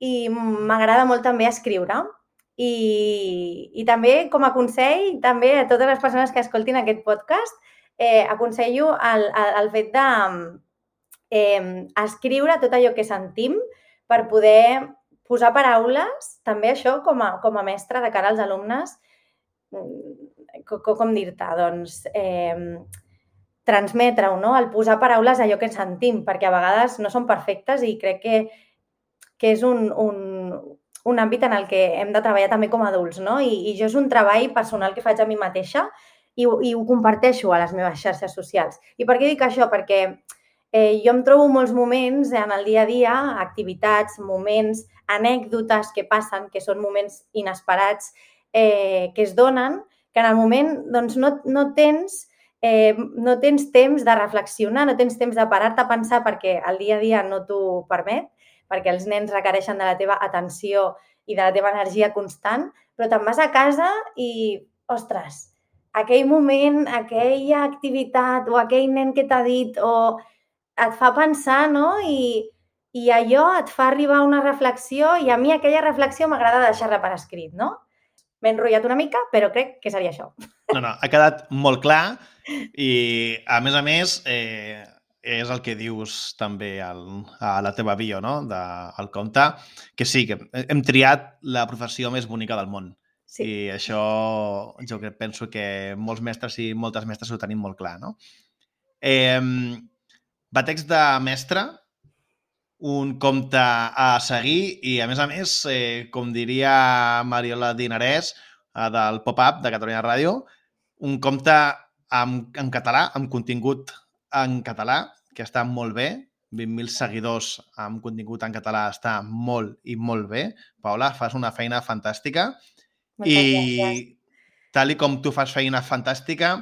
Speaker 5: i m'agrada molt també escriure. I, i també, com a consell, també a totes les persones que escoltin aquest podcast, Eh, aconsello el, el, el fet de eh, escriure tot allò que sentim per poder posar paraules, també això com a, com a mestre de cara als alumnes, com, com dir-te, doncs, eh, transmetre-ho, no? El posar paraules a allò que sentim, perquè a vegades no són perfectes i crec que, que és un, un, un àmbit en el que hem de treballar també com a adults, no? I, i jo és un treball personal que faig a mi mateixa i, i ho comparteixo a les meves xarxes socials. I per què dic això? Perquè eh, jo em trobo molts moments en el dia a dia, activitats, moments, anècdotes que passen, que són moments inesperats, eh, que es donen, que en el moment doncs, no, no, tens, eh, no tens temps de reflexionar, no tens temps de parar-te a pensar perquè el dia a dia no t'ho permet, perquè els nens requereixen de la teva atenció i de la teva energia constant, però te'n vas a casa i, ostres, aquell moment, aquella activitat o aquell nen que t'ha dit o et fa pensar, no? I, i allò et fa arribar a una reflexió i a mi aquella reflexió m'agrada deixar-la per escrit, no? M'he enrotllat una mica, però crec que seria això.
Speaker 2: No, no, ha quedat molt clar i, a més a més, eh, és el que dius també al, a la teva bio, no?, del conte, que sí, que hem triat la professió més bonica del món. Sí. I això jo penso que molts mestres i moltes mestres ho tenim molt clar, no? Eh, Batecs de mestre, un conte a seguir i, a més a més, eh, com diria Mariola Dinarès, eh, del Pop-Up de Catalunya Ràdio, un conte en, en català, amb contingut en català, que està molt bé. vint mil seguidors amb contingut en català està molt i molt bé. Paula, fas una feina fantàstica.
Speaker 5: Moltes
Speaker 2: I
Speaker 5: gràcies.
Speaker 2: tal i com tu fas feina fantàstica,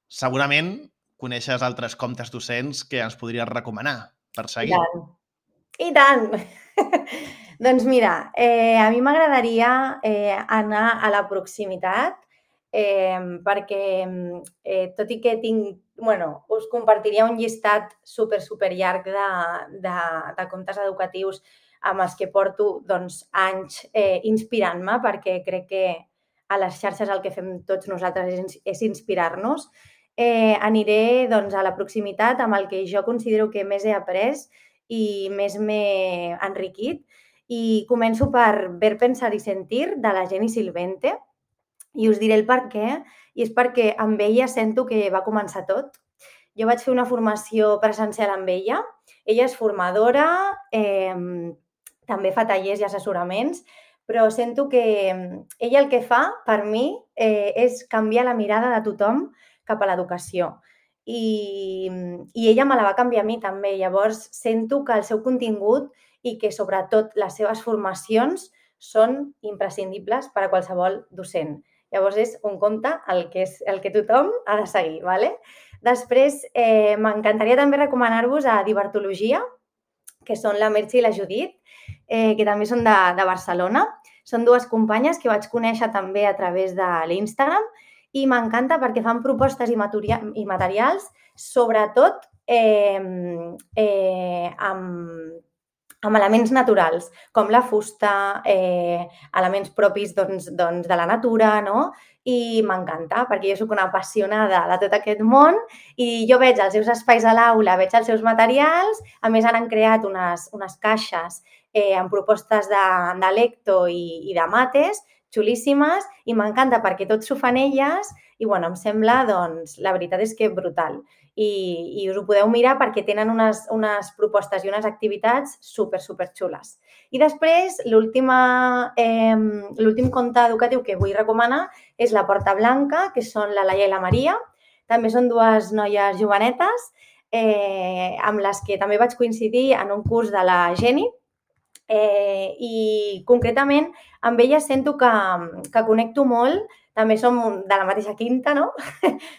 Speaker 2: segurament coneixes altres contes docents que ens podries recomanar per seguir.
Speaker 5: I tant. I tant! Doncs mira, eh, a mi m'agradaria eh, anar a la proximitat eh, perquè, eh, tot i que tinc, bueno, us compartiria un llistat super, super llarg de, de, de contes educatius amb els que porto doncs, anys eh, inspirant-me, perquè crec que a les xarxes el que fem tots nosaltres és, és inspirar-nos. Eh, aniré doncs, a la proximitat amb el que jo considero que més he après i més m'he enriquit. I començo per Ver, pensar i sentir, de la Jenny Silvente, i us diré el per què, i és perquè amb ella sento que va començar tot. Jo vaig fer una formació presencial amb ella, ella és formadora, eh, també fa tallers i assessoraments, però sento que ella el que fa, per mi, eh, és canviar la mirada de tothom cap a l'educació. I, i ella me la va canviar a mi també. Llavors, sento que el seu contingut i que, sobretot, les seves formacions són imprescindibles per a qualsevol docent. Llavors, és un conte el que, és, el que tothom ha de seguir, ¿vale? Després, eh, m'encantaria també recomanar-vos a Divertologia, que són la Merche i la Judit, eh, que també són de, de Barcelona. Són dues companyes que vaig conèixer també a través de l'Instagram i m'encanta perquè fan propostes i, i materials, sobretot eh, eh, amb, amb elements naturals, com la fusta, eh, elements propis doncs, doncs, de la natura, no? I m'encanta, perquè jo soc una apassionada de tot aquest món i jo veig els seus espais a l'aula, veig els seus materials, a més han creat unes, unes caixes eh, amb propostes de, de lecto i, i de mates, xulíssimes, i m'encanta perquè tot s'ho fan elles i, bueno, em sembla, doncs, la veritat és que brutal. I, i us ho podeu mirar perquè tenen unes, unes propostes i unes activitats super, super xules. I després, l'últim eh, conte educatiu que vull recomanar és La Porta Blanca, que són la Laia i la Maria. També són dues noies jovenetes eh, amb les que també vaig coincidir en un curs de la Jenny. Eh, I concretament amb elles sento que, que connecto molt, també som de la mateixa quinta, no?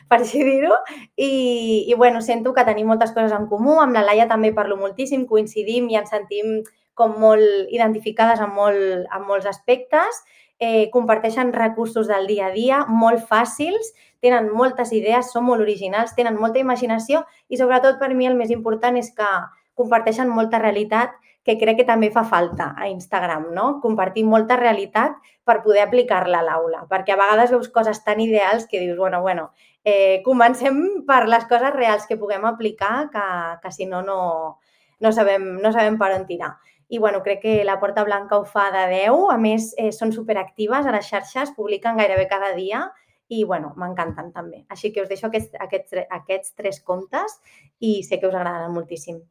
Speaker 5: Per així dir-ho, i, i bueno, sento que tenim moltes coses en comú, amb la Laia també parlo moltíssim, coincidim i ens sentim com molt identificades en, molt, en molts aspectes, eh, comparteixen recursos del dia a dia molt fàcils, tenen moltes idees, són molt originals, tenen molta imaginació i sobretot per mi el més important és que comparteixen molta realitat que crec que també fa falta a Instagram, no? Compartir molta realitat per poder aplicar-la a l'aula, perquè a vegades veus coses tan ideals que dius, bueno, bueno, eh, comencem per les coses reals que puguem aplicar, que, que si no, no, no, sabem, no sabem per on tirar. I, bueno, crec que La Porta Blanca ho fa de deu, a més, eh, són superactives a les xarxes, publiquen gairebé cada dia i, bueno, m'encanten també. Així que us deixo aquests, aquests, aquests tres contes i sé que us agraden moltíssim.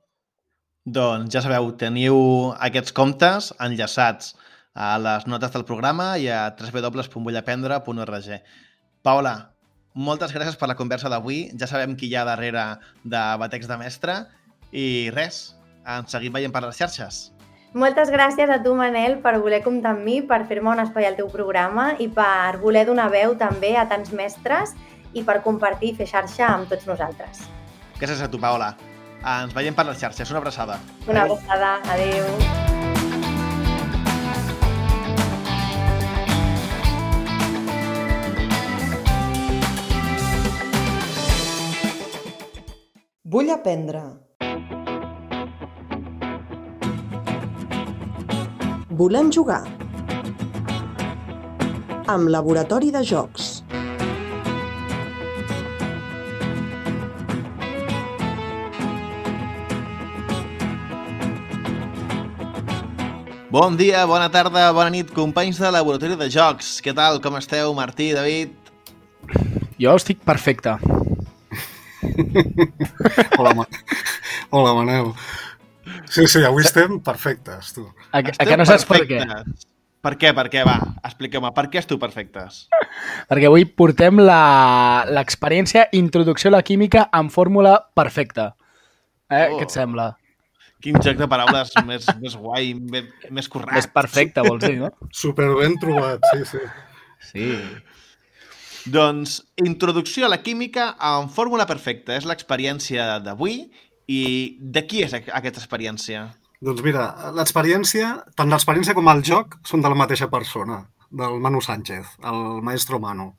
Speaker 2: Doncs ja sabeu, teniu aquests contes enllaçats a les notes del programa i a w w w punt vull aprendre punt org. Paula, moltes gràcies per la conversa d'avui. Ja sabem qui hi ha darrere de Batecs de Mestre i res, ens seguim veient per les xarxes.
Speaker 5: Moltes gràcies a tu, Manel, per voler comptar amb mi, per fer-me un espai al teu programa i per voler donar veu també a tants mestres i per compartir i fer xarxa amb tots nosaltres.
Speaker 2: Gràcies a tu, Paula. Ens veiem per les xarxes. Una abraçada.
Speaker 5: Una abraçada. Adéu.
Speaker 1: Vull aprendre. Volem jugar. Amb Laboratori de Jocs.
Speaker 2: Bon dia, bona tarda, bona nit, companys de Laboratori de Jocs. Què tal, com esteu, Martí, David?
Speaker 6: Jo estic perfecte.
Speaker 7: Hola, Ma... Hola, Manel. Sí, sí, avui estem perfectes, tu.
Speaker 6: A, a que no saps per què?
Speaker 2: Per què, per què? Va, expliqueu-me, per què esteu perfectes?
Speaker 6: Perquè avui portem la- l'experiència Introducció a la química en fórmula perfecta. Eh?
Speaker 2: Oh.
Speaker 6: Què et sembla?
Speaker 2: Quin joc de paraules més, més guai, més, més correcte.
Speaker 6: Més perfecte, vols dir, no?
Speaker 7: Super ben trobat, sí, sí.
Speaker 6: Sí.
Speaker 2: Doncs, introducció a la química en fórmula perfecta. És l'experiència d'avui. I de qui és aquesta experiència?
Speaker 7: Doncs mira, l'experiència, tant l'experiència com el joc són de la mateixa persona, del Manu Sánchez, el maestro Manu,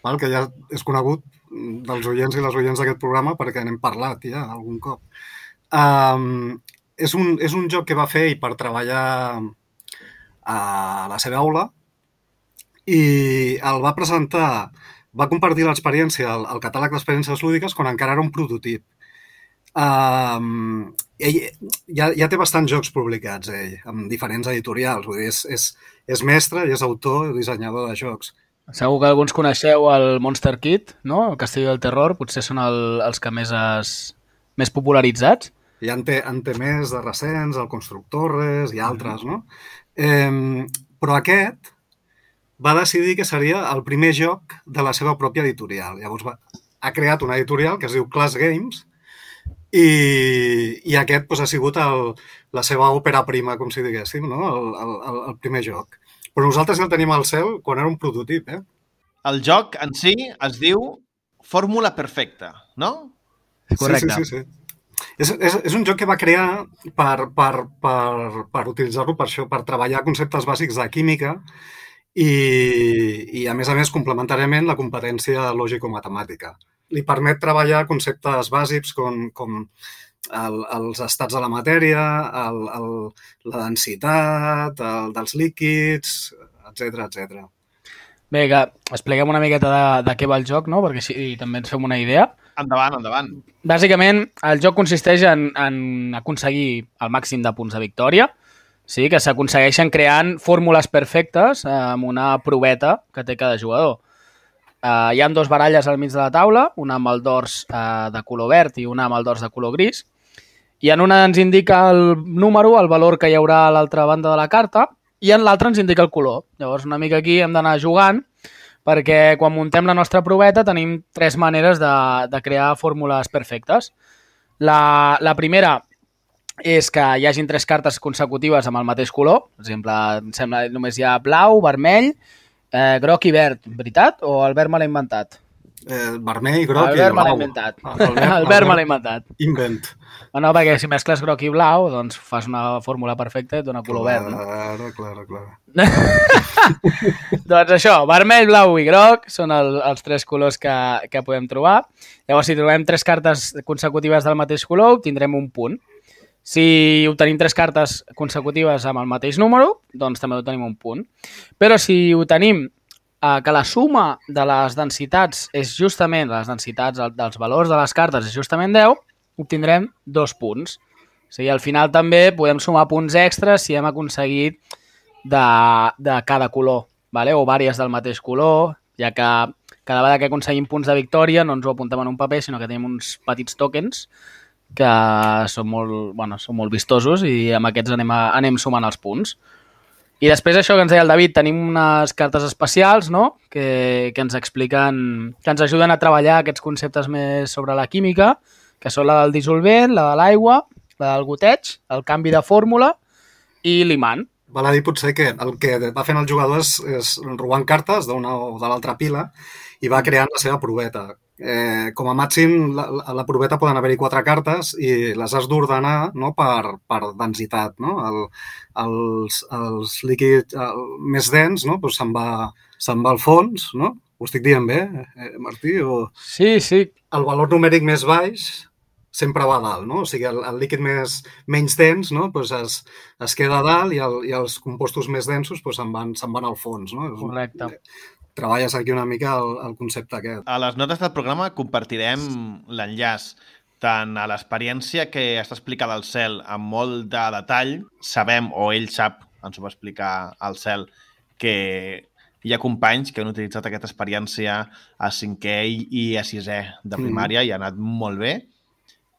Speaker 7: val? Que ja és conegut dels oients i les oients d'aquest programa perquè n'hem parlat ja algun cop. Um, és, un, és un joc que va fer per treballar a la seva aula i el va presentar, va compartir l'experiència al, al catàleg d'experiències lúdiques quan encara era un prototip. Um, ell ja, ja té bastants jocs publicats, ell, amb diferents editorials. Vull dir, és, és, és mestre i és autor i dissenyador de jocs.
Speaker 6: Segur que alguns coneixeu el Monster Kid, no? El Castell del Terror, potser són el, els que més, es, més popularitzats.
Speaker 7: Hi ha en té, en té més de recents, el Constructores i altres, no? Eh, però aquest va decidir que seria el primer joc de la seva pròpia editorial. Llavors va, ha creat una editorial que es diu Class Games i, i aquest doncs, ha sigut el, la seva òpera prima, com si diguéssim, no? el, el, el primer joc. Però nosaltres ja el tenim al cel quan era un prototip, eh?
Speaker 2: El joc en si es diu Fórmula Perfecta, no?
Speaker 6: Correcte.
Speaker 7: Sí, sí, sí. sí. És, és, és un joc que va crear per, per, per, per utilitzar-lo per això, per treballar conceptes bàsics de química i, i a més a més, complementàriament, la competència lògico-matemàtica. Li permet treballar conceptes bàsics com, com el, els estats de la matèria, el, el, la densitat, el, dels líquids, etcètera, etcètera.
Speaker 6: Bé, que expliquem una miqueta de, de què va el joc, no? Perquè així també ens fem una idea.
Speaker 2: Endavant, endavant.
Speaker 6: Bàsicament, el joc consisteix en, en aconseguir el màxim de punts de victòria, sí? Que s'aconsegueixen creant fórmules perfectes eh, amb una proveta que té cada jugador. Eh, hi ha dues baralles al mig de la taula, una amb el dors eh, de color verd i una amb el dors de color gris, i en una ens indica el número, el valor que hi haurà a l'altra banda de la carta, i en l'altra ens indica el color. Llavors, una mica aquí hem d'anar jugant, perquè quan muntem la nostra proveta tenim tres maneres de, de crear fórmules perfectes. La, la primera és que hi hagin tres cartes consecutives amb el mateix color. Per exemple, em sembla que només hi ha blau, vermell, eh, groc i verd, veritat? O el verd me l'ha inventat?
Speaker 7: Eh, vermell, groc
Speaker 6: el
Speaker 7: i
Speaker 6: verd me l'ha
Speaker 7: blau.
Speaker 6: inventat.
Speaker 7: El verd,
Speaker 6: el verd me l'ha inventat.
Speaker 7: Invent.
Speaker 6: No, perquè si mescles groc i blau, doncs fas una fórmula perfecta i et dona color verd, no?
Speaker 7: Claro, claro, claro.
Speaker 6: Doncs això, vermell, blau i groc són el, els tres colors que, que podem trobar. Llavors, si trobem tres cartes consecutives del mateix color, obtindrem un punt. Si obtenim tres cartes consecutives amb el mateix número, doncs també obtenim un punt. Però si obtenim eh, que la suma de les densitats és justament, les densitats dels valors de les cartes és justament deu, obtindrem dos punts. O sigui, al final també podem sumar punts extras si hem aconseguit de, de cada color, vale? O vàries del mateix color, ja que cada vegada que aconseguim punts de victòria no ens ho apuntem en un paper, sinó que tenim uns petits tokens que són molt, bueno, són molt vistosos i amb aquests anem, a, anem sumant els punts. I després això que ens deia el David, tenim unes cartes especials, no? que, que ens expliquen, que ens ajuden a treballar aquests conceptes més sobre la química, que són la del dissolvent, la de l'aigua, la del goteig, el canvi de fórmula i l'imant.
Speaker 7: Val a dir potser que el que va fent el jugador és, és robant cartes d'una o de l'altra pila i va creant la seva proveta. Eh, com a màxim, la, la proveta poden haver-hi quatre cartes i les has d'ordenar, no, per, per densitat. No? El, els, els líquids el, més dens, no? Pues se'n va, se'n va al fons, no? Ho estic dient bé, eh, Martí? O...
Speaker 6: Sí, sí.
Speaker 7: El valor numèric més baix sempre va a dalt, no? O sigui, el, el líquid més, menys dens, no? Pues es, es queda a dalt i, el, i els compostos més densos pues, se'n van, se'n van al fons, no?
Speaker 6: Correcte.
Speaker 7: Treballes aquí una mica el, el concepte aquest.
Speaker 2: A les notes del programa compartirem l'enllaç tant a l'experiència que està explicada al Cel amb molt de detall. Sabem, o ell sap, ens ho va explicar al Cel, que hi ha companys que han utilitzat aquesta experiència a cinquè i a sisè de primària mm. i ha anat molt bé,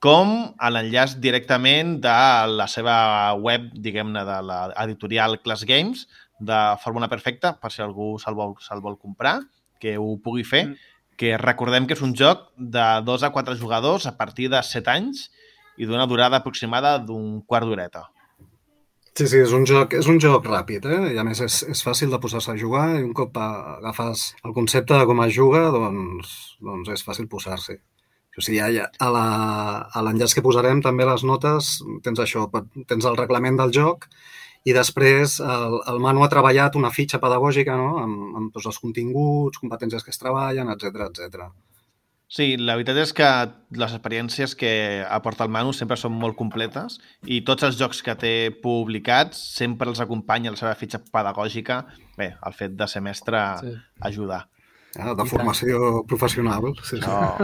Speaker 2: com a l'enllaç directament de la seva web, diguem-ne, de l'editorial Class Games, de Fórmula Perfecta, per si algú se'l vol, se'l vol comprar, que ho pugui fer, mm. que recordem que és un joc de dos a quatre jugadors a partir de set anys i d'una durada aproximada d'un quart d'horeta.
Speaker 7: Sí, sí, és un joc, és un joc ràpid, eh? I a més és, és fàcil de posar-se a jugar i un cop agafes el concepte de com es juga, doncs, doncs és fàcil posar-s'hi. O sigui, ja, a l'enllaç que posarem també les notes tens això, tens el reglament del joc i després el, el Manu ha treballat una fitxa pedagògica, no? amb, amb tots els continguts, competències que es treballen, etcètera, etcètera.
Speaker 2: Sí, la veritat és que les experiències que aporta el Manu sempre són molt completes i tots els jocs que té publicats sempre els acompanya la seva fitxa pedagògica. Bé, el fet de ser mestre sí. ajuda.
Speaker 7: Ja, de formació professional. Sí, sí.
Speaker 2: No.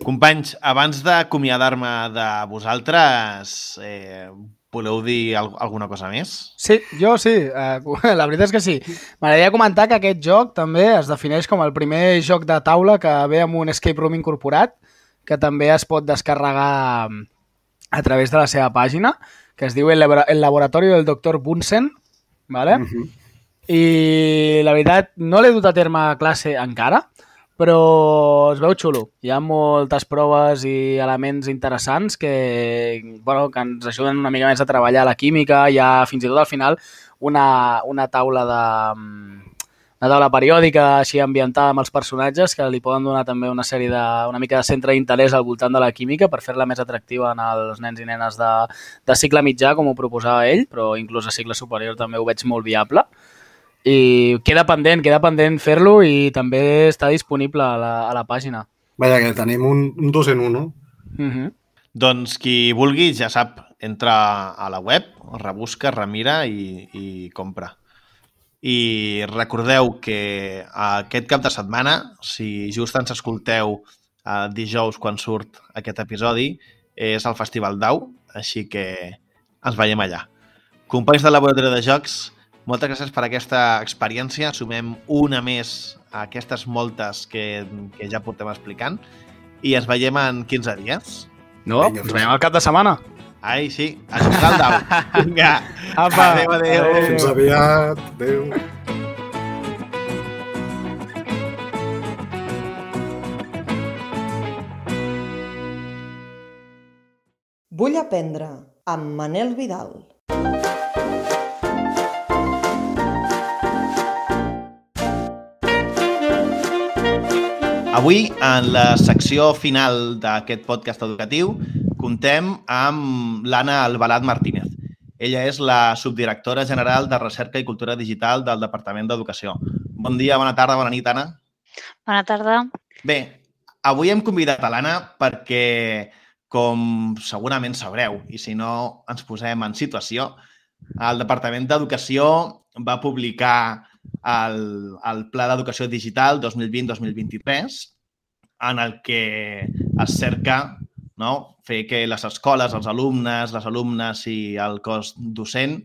Speaker 2: Companys, abans d'acomiadar-me de vosaltres, eh, voleu dir alguna cosa més?
Speaker 6: Sí, jo sí. Eh, la veritat és que sí. M'agradaria comentar que aquest joc també es defineix com el primer joc de taula que ve amb un escape room incorporat, que també es pot descarregar a través de la seva pàgina, que es diu El, el Laboratorio del doctor Bunsen, ¿vale? Uh-huh. I la veritat, no l'he dut a terme a classe encara, però es veu xulo. Hi ha moltes proves i elements interessants que, bueno, que ens ajuden una mica més a treballar la química. Hi ha fins i tot al final una, una taula de una taula periòdica així ambientada amb els personatges que li poden donar també una sèrie de, una mica de centre d'interès al voltant de la química per fer-la més atractiva en els nens i nenes de, de cicle mitjà, com ho proposava ell, però inclús a cicle superior també ho veig molt viable. I queda pendent, queda pendent fer-lo i també està disponible a la, a la pàgina.
Speaker 7: Vaja, que tenim un, un dos en uno.
Speaker 6: Uh-huh.
Speaker 2: Doncs qui vulgui, ja sap, entra a la web, rebusca, remira i, i compra. I recordeu que aquest cap de setmana, si just ens escolteu eh, dijous quan surt aquest episodi, és el Festival d'Au, així que ens veiem allà. Companys del Laboratori de Jocs, moltes gràcies per aquesta experiència. Sumem una més a aquestes moltes que, que ja portem explicant i ens veiem en quinze dies.
Speaker 6: No, Vinga, ens veiem al cap de setmana.
Speaker 2: Ai, sí, a jugar al dau. Vinga,
Speaker 6: apa,
Speaker 2: adéu, adéu. adéu.
Speaker 7: Fins aviat, adéu.
Speaker 1: Vull aprendre amb Manel Vidal.
Speaker 2: Avui, en la secció final d'aquest podcast educatiu, contem amb l'Anna Albalat Martínez. Ella és la subdirectora general de Recerca i Cultura Digital del Departament d'Educació. Bon dia, bona tarda, bona nit, Anna.
Speaker 8: Bona tarda.
Speaker 2: Bé, avui hem convidat a l'Anna perquè, com segurament sabreu, i si no ens posem en situació, el Departament d'Educació va publicar el, el Pla d'Educació Digital dos mil vint dos mil vint-i-tres, en el que es cerca, no, fer que les escoles, els alumnes, les alumnes i el cos docent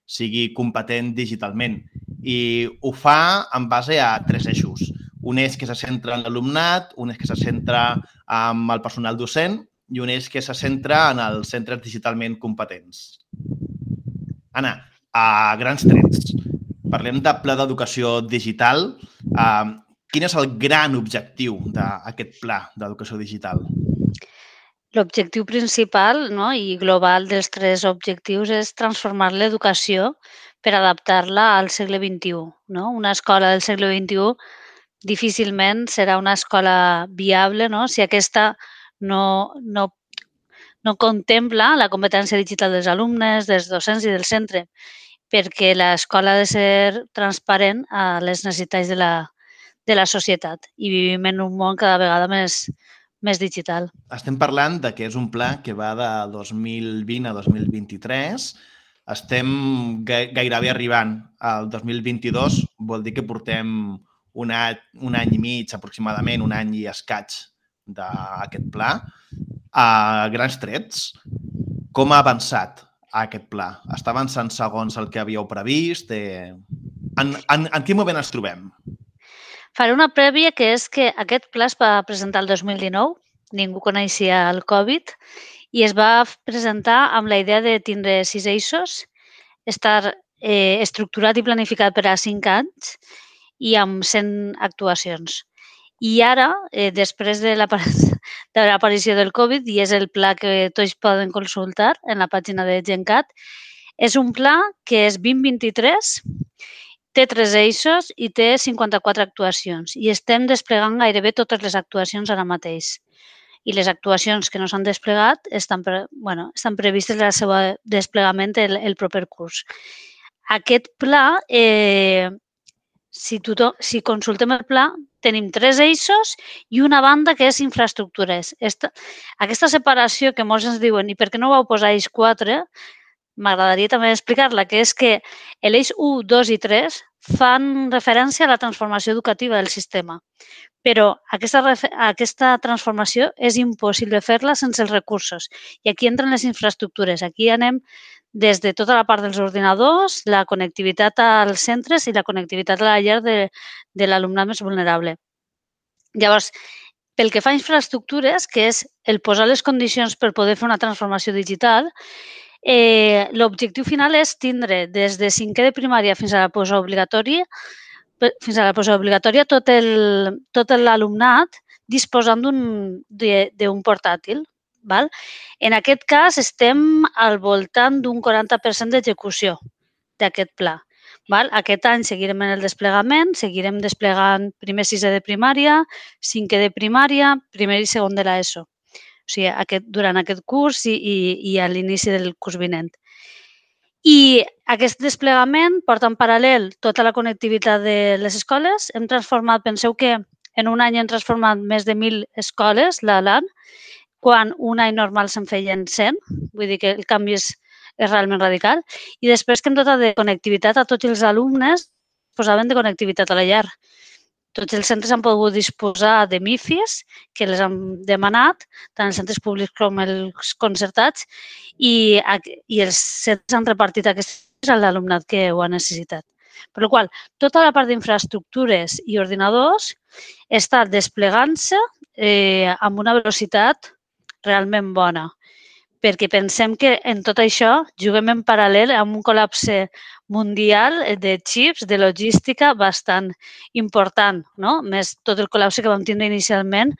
Speaker 2: sigui competent digitalment. I ho fa en base a tres eixos. Un eix que se centra en l'alumnat, un eix que se centra en el personal docent i un eix que se centra en els centres digitalment competents. Anna, a grans trets, parlem de pla d'educació digital. Uh, quin és el gran objectiu d'aquest pla d'educació digital?
Speaker 8: L'objectiu principal, no, i global dels tres objectius és transformar l'educació per adaptar-la al segle vint-i-u. No? Una escola del segle vint-i-u difícilment serà una escola viable, no? Si aquesta no, no, no contempla la competència digital dels alumnes, dels docents i del centre, perquè l'escola ha de ser transparent a les necessitats de la, de la societat. I vivim en un món cada vegada més, més digital.
Speaker 2: Estem parlant de que és un pla que va de dos mil vint a dos mil vint-i-tres. Estem gairebé arribant al dos mil vint-i-dos, vol dir que portem un any, un any i mig aproximadament, un any i escaig d'aquest pla. A grans trets, com ha avançat aquest pla? Està avançant segons el que havíeu previst? En, en, en quin moment ens trobem?
Speaker 8: Faré una prèvia, que és que aquest pla es va presentar el dos mil dinou, ningú coneixia el Covid, i es va presentar amb la idea de tindre sis eixos, estar eh, estructurat i planificat per a cinc anys i amb cent actuacions. I ara, eh, després de l'aparició del Covid, i és el pla que tots poden consultar en la pàgina de GenCat, és un pla que és vint vint-i-tres, té tres eixos i té cinquanta-quatre actuacions. I estem desplegant gairebé totes les actuacions ara mateix. I les actuacions que no s'han desplegat estan, pre, bueno, estan previstes el seu desplegament el, el proper curs. Aquest pla, eh, si, tothom, si consultem el pla, tenim tres eixos i una banda que és infraestructures. Esta, aquesta separació que molts ens diuen, i per què no vau posar eix quatre, m'agradaria també explicar-la, que és que l'eix u, dos i tres fan referència a la transformació educativa del sistema. Però aquesta, aquesta transformació és impossible fer-la sense els recursos. I aquí entren les infraestructures. Aquí anem des de tota la part dels ordinadors, la connectivitat als centres i la connectivitat a la llar de, de l'alumnat més vulnerable. Llavors, pel que fa a infraestructures, que és el posar les condicions per poder fer una transformació digital, eh, l'objectiu final és tindre des de cinquè de primària fins a la postobligatòria fins a la postobligatòria tot el, tot l'alumnat disposant d'un portàtil. Val? En aquest cas estem al voltant d'un quaranta per cent d'execució d'aquest pla. Val? Aquest any seguirem en el desplegament, seguirem desplegant primer sisè de primària, cinquè de primària, primer i segon de l'ESO. O sigui, aquest, durant aquest curs i, i, i a l'inici del curs vinent. I aquest desplegament porta en paral·lel tota la connectivitat de les escoles. Hem transformat, penseu que en un any hem transformat més de mil escoles, l'A L A N, quan un any normal se'n feien cent, vull dir que el canvi és, és realment radical. I després que hem dotat de connectivitat a tots els alumnes, posaven de connectivitat a la llar. Tots els centres han pogut disposar de MIFIs, que les han demanat, tant els centres públics com els concertats, i, i els centres han repartit aquests a l'alumnat que ho ha necessitat. Per la qual cosa, tota la part d'infraestructures i ordinadors està desplegant-se eh, amb una velocitat realment bona, perquè pensem que en tot això juguem en paral·lel amb un col·lapse mundial de xips, de logística bastant important, no? Més tot el col·lapse que vam tindre inicialment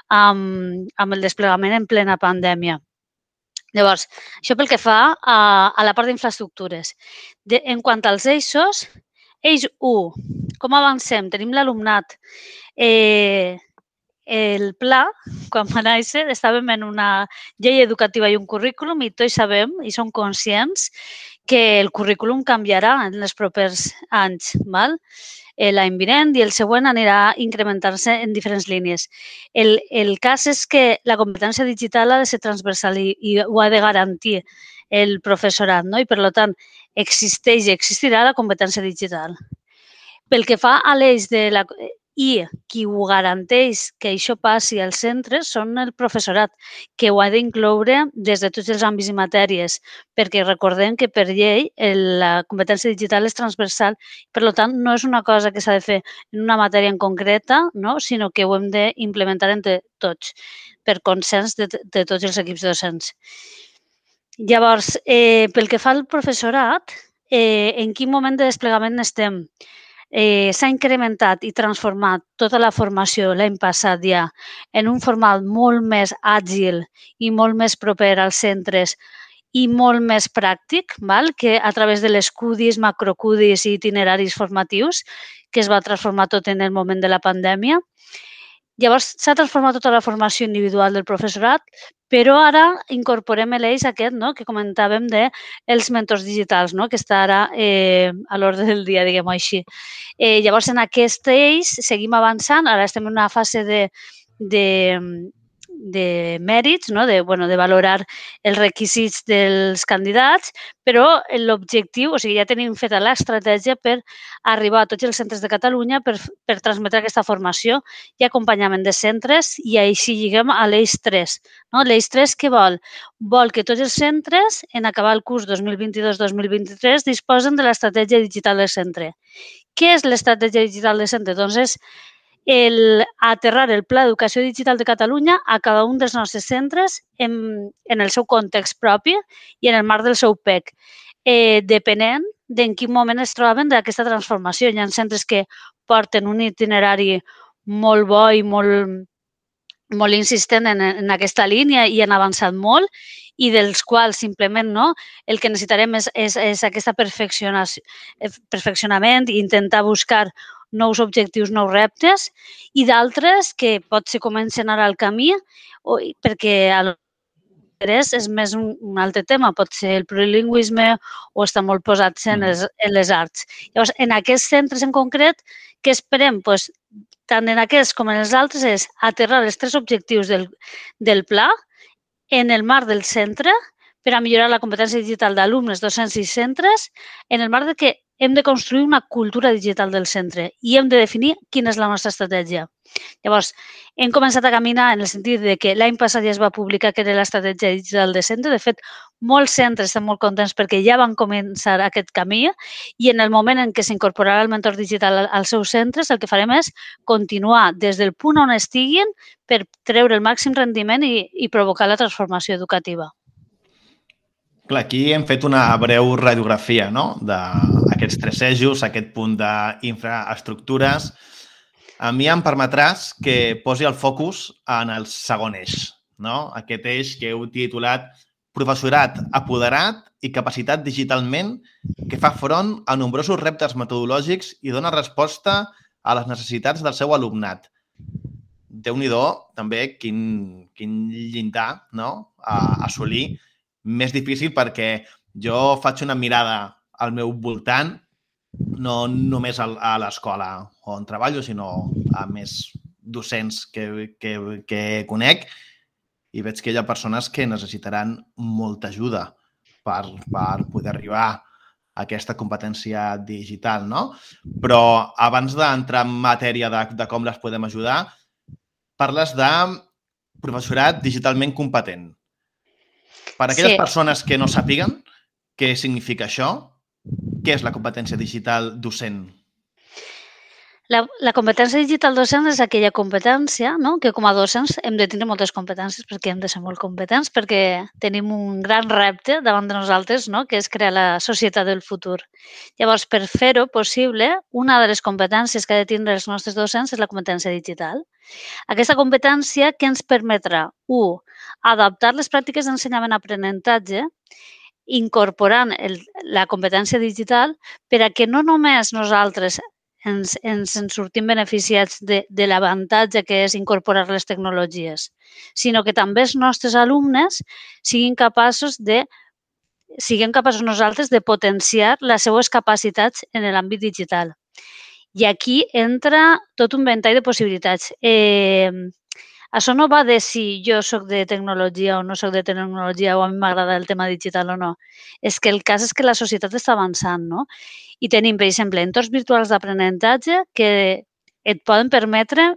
Speaker 8: amb, amb el desplegament en plena pandèmia. Llavors, això pel que fa a, a la part d'infraestructures. En quant als eixos, eix u, com avancem? Tenim l'alumnat. Eh, el pla, quan va néixer, estàvem en una llei educativa i un currículum i tots sabem i som conscients que el currículum canviarà en els propers anys. Val? L'any vinent i el següent anirà incrementant-se en diferents línies. El, el cas és que la competència digital ha de ser transversal i, i ho ha de garantir el professorat, no? I per tant existeix i existirà la competència digital. Pel que fa a l'eix de la... I qui ho garanteix que això passi als centres són el professorat, que ho ha d'incloure des de tots els àmbits i matèries, perquè recordem que per llei la competència digital és transversal, per tant no és una cosa que s'ha de fer en una matèria en concreta, no? Sinó que ho hem d'implementar entre tots, per consens de, de tots els equips docents. Llavors, eh, pel que fa al professorat, eh, en quin moment de desplegament estem? Eh, s'ha incrementat i transformat tota la formació l'any passat ja en un format molt més àgil i molt més proper als centres i molt més pràctic, val? Que a través de les C U D Is, macrocudis i itineraris formatius, que es va transformar tot en el moment de la pandèmia. Llavors, s'ha transformat tota la formació individual del professorat, però ara incorporem l'eix aquest, no?, que comentàvem dels mentors digitals, no?, que està ara eh, a l'ordre del dia, diguem-ho així. Eh, llavors, en aquest eix seguim avançant. Ara estem en una fase de, de, de mèrits, no? de, bueno, de valorar els requisits dels candidats, però l'objectiu, o sigui, ja tenim feta l'estratègia per arribar a tots els centres de Catalunya per, per transmetre aquesta formació i acompanyament de centres i així lliguem a l'Eix tres. No? L'Eix tres què vol? Vol que tots els centres, en acabar el curs dos mil vint-i-dos dos mil vint-i-tres, disposen de l'estratègia digital del centre. Què és l'estratègia digital del centre? Doncs és el aterrar el Pla d'Educació Digital de Catalunya a cada un dels nostres centres en, en el seu context propi i en el marc del seu P E C, eh, depenent d'en quin moment es troben d'aquesta transformació. Hi ha centres que porten un itinerari molt bo i molt, molt insistent en, en aquesta línia i han avançat molt i dels quals simplement no, el que necessitarem és, és, és aquest perfeccionament i intentar buscar nous objectius, nous reptes, i d'altres que potser comencen ara al camí, o, perquè l'interès és més un, un altre tema, pot ser el plurilingüisme o està molt posats en les, en les arts. Llavors, en aquests centres en concret, què esperem? Pues, tant en aquests com en els altres és aterrar els tres objectius del, del pla en el marc del centre per a millorar la competència digital d'alumnes, docents i centres, en el marc de que hem de construir una cultura digital del centre i hem de definir quina és la nostra estratègia. Llavors, hem començat a caminar en el sentit de que l'any passat ja es va publicar que era l'estratègia digital de centre. De fet, molts centres estan molt contents perquè ja van començar aquest camí i en el moment en què s'incorporarà el mentor digital als seus centres, el que farem és continuar des del punt on estiguin per treure el màxim rendiment i, i provocar la transformació educativa.
Speaker 2: Clar, aquí hem fet una breu radiografia, no?, d'aquests tres eixos, aquest punt d'infraestructures. A mi em permetràs que posi el focus en el segon eix, no? Aquest eix que heu titulat Professorat apoderat i capacitat digitalment que fa front a nombrosos reptes metodològics i dona resposta a les necessitats del seu alumnat. Déu-n'hi-do, també, quin, quin llindar, no?, a assolir. Més difícil perquè jo faig una mirada al meu voltant, no només a l'escola on treballo, sinó a més docents que, que, que conec i veig que hi ha persones que necessitaran molta ajuda per, per poder arribar a aquesta competència digital, no? Però abans d'entrar en matèria de, de com les podem ajudar, parles de professorat digitalment competent. Per a aquelles sí. persones que no sàpiguen què significa això, què és la competència digital docent?
Speaker 8: La, la competència digital docent és aquella competència, no?, que com a docents hem de tenir moltes competències perquè hem de ser molt competents, perquè tenim un gran repte davant de nosaltres, no?, que és crear la societat del futur. Llavors, per fer-ho possible, una de les competències que ha de tindre els nostres docents és la competència digital. Aquesta competència que ens permetrà, u, adaptar les pràctiques d'ensenyament-aprenentatge incorporant el, la competència digital per a que no només nosaltres ens, ens en sortim beneficiats de, de l'avantatge que és incorporar les tecnologies, sinó que també els nostres alumnes siguin capaços de siguem capaços nosaltres de potenciar les seues capacitats en l'àmbit digital. I aquí entra tot un ventall de possibilitats. Eh, Això no va de si jo soc de tecnologia o no soc de tecnologia o a mi m'agrada el tema digital o no. És que el cas és que la societat està avançant, no? I tenim, per exemple, entorns virtuals d'aprenentatge que et poden permetre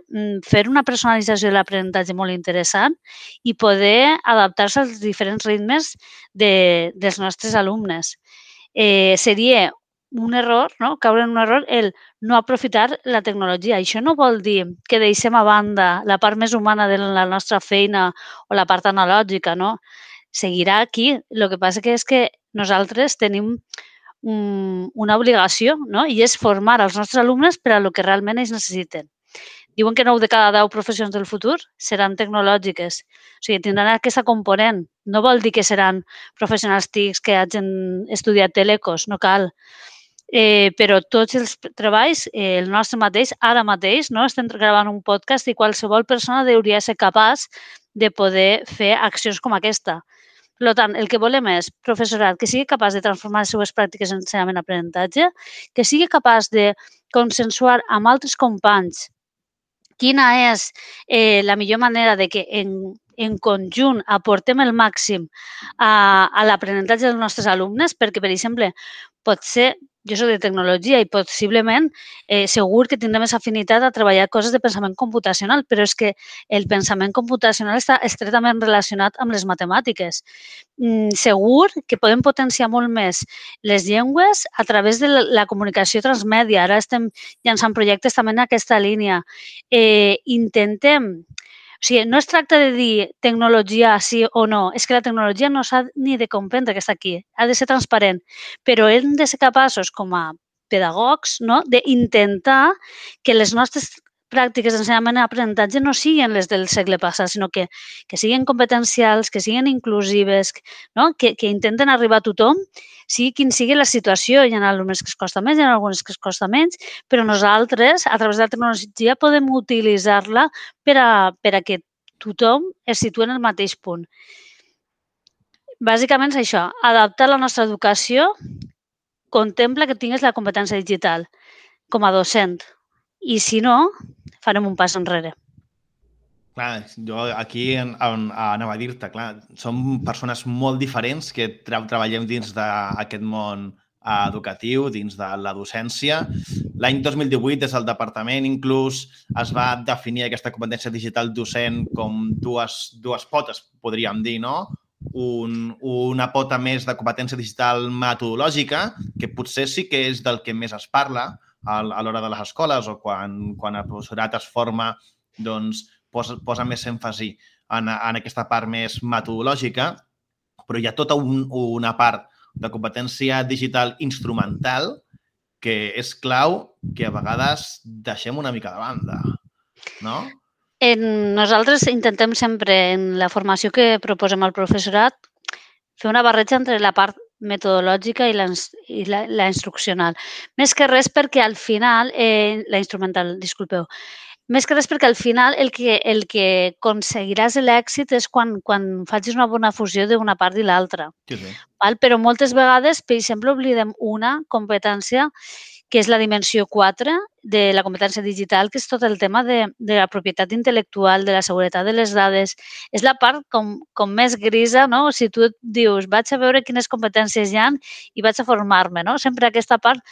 Speaker 8: fer una personalització de l'aprenentatge molt interessant i poder adaptar-se als diferents ritmes de, dels nostres alumnes. Eh, seria un error, no? Caure en un error, el no aprofitar la tecnologia. Això no vol dir que deixem a banda la part més humana de la nostra feina o la part analògica, no? Seguirà aquí. El que passa que és que nosaltres tenim un, una obligació, no? I és formar els nostres alumnes per a lo que realment ells necessiten. Diuen que nou de cada deu professions del futur seran tecnològiques. O sigui, tindran aquesta component. No vol dir que seran professionals T I Cs que hagin estudiat telecos, no cal. Eh, però tots els treballs, eh, el nostre mateix, ara mateix, no? Estem gravant un podcast i qualsevol persona hauria de ser capaç de poder fer accions com aquesta. Per tant, el que volem és professorat que sigui capaç de transformar les seues pràctiques en ensenyament-aprenentatge, que sigui capaç de consensuar amb altres companys quina és eh, la millor manera de que en, en conjunt aportem el màxim a, a l'aprenentatge dels nostres alumnes, perquè, per exemple, pot ser, jo soc de tecnologia i possiblement eh, segur que tindrem més afinitat a treballar coses de pensament computacional, però és que el pensament computacional està estretament relacionat amb les matemàtiques. Mm, segur que podem potenciar molt més les llengües a través de la comunicació transmèdia. Ara estem llançant projectes també en aquesta línia. Eh, intentem... O sigui, no es tracta de dir tecnologia sí o no, és que la tecnologia no s'ha ni de comprendre que està aquí, ha de ser transparent, però hem de ser capaços com a pedagogs, no?, d'intentar que les nostres pràctiques d'ensenyament i aprenentatge no siguin les del segle passat, sinó que, que siguin competencials, que siguin inclusives, no?, que, que intenten arribar a tothom, sigui quin sigui la situació. Hi ha alumnes que es costa més, hi ha algunes que es costa menys, però nosaltres, a través de la tecnologia, podem utilitzar-la per a, per a que tothom es situï en el mateix punt. Bàsicament és això, adaptar la nostra educació contempla que tinguis la competència digital com a docent i, si no, farem un pas enrere.
Speaker 2: Clar, jo aquí en, en, anava a dir-te, clar, som persones molt diferents que tra treballem dins d'aquest món educatiu, dins de la docència. L'any dos mil divuit, des del departament, inclús es va definir aquesta competència digital docent com dues, dues potes, podríem dir, no? Un, una pota més de competència digital metodològica, que potser sí que és del que més es parla a, a l'hora de les escoles o quan, quan el professorat es forma, doncs, posa, posa més èmfasi en, en aquesta part més metodològica, però hi ha tota un, una part de competència digital instrumental que és clau que a vegades deixem una mica de banda, no?
Speaker 8: En, nosaltres intentem sempre, en la formació que proposem al professorat, fer una barreja entre la part metodològica i la, i la, la instruccional. Més que res perquè al final, eh, la instrumental, disculpeu, més que res perquè al final el que, el que aconseguiràs l'èxit és quan, quan facis una bona fusió d'una part i l'altra.
Speaker 2: Sí, sí.
Speaker 8: Però moltes vegades, per exemple, oblidem una competència que és la dimensió quatre de la competència digital, que és tot el tema de, de la propietat intel·lectual, de la seguretat de les dades. És la part com, com més grisa, no? Si tu et dius, vaig a veure quines competències hi ha i vaig a formar-me, no? Sempre aquesta part,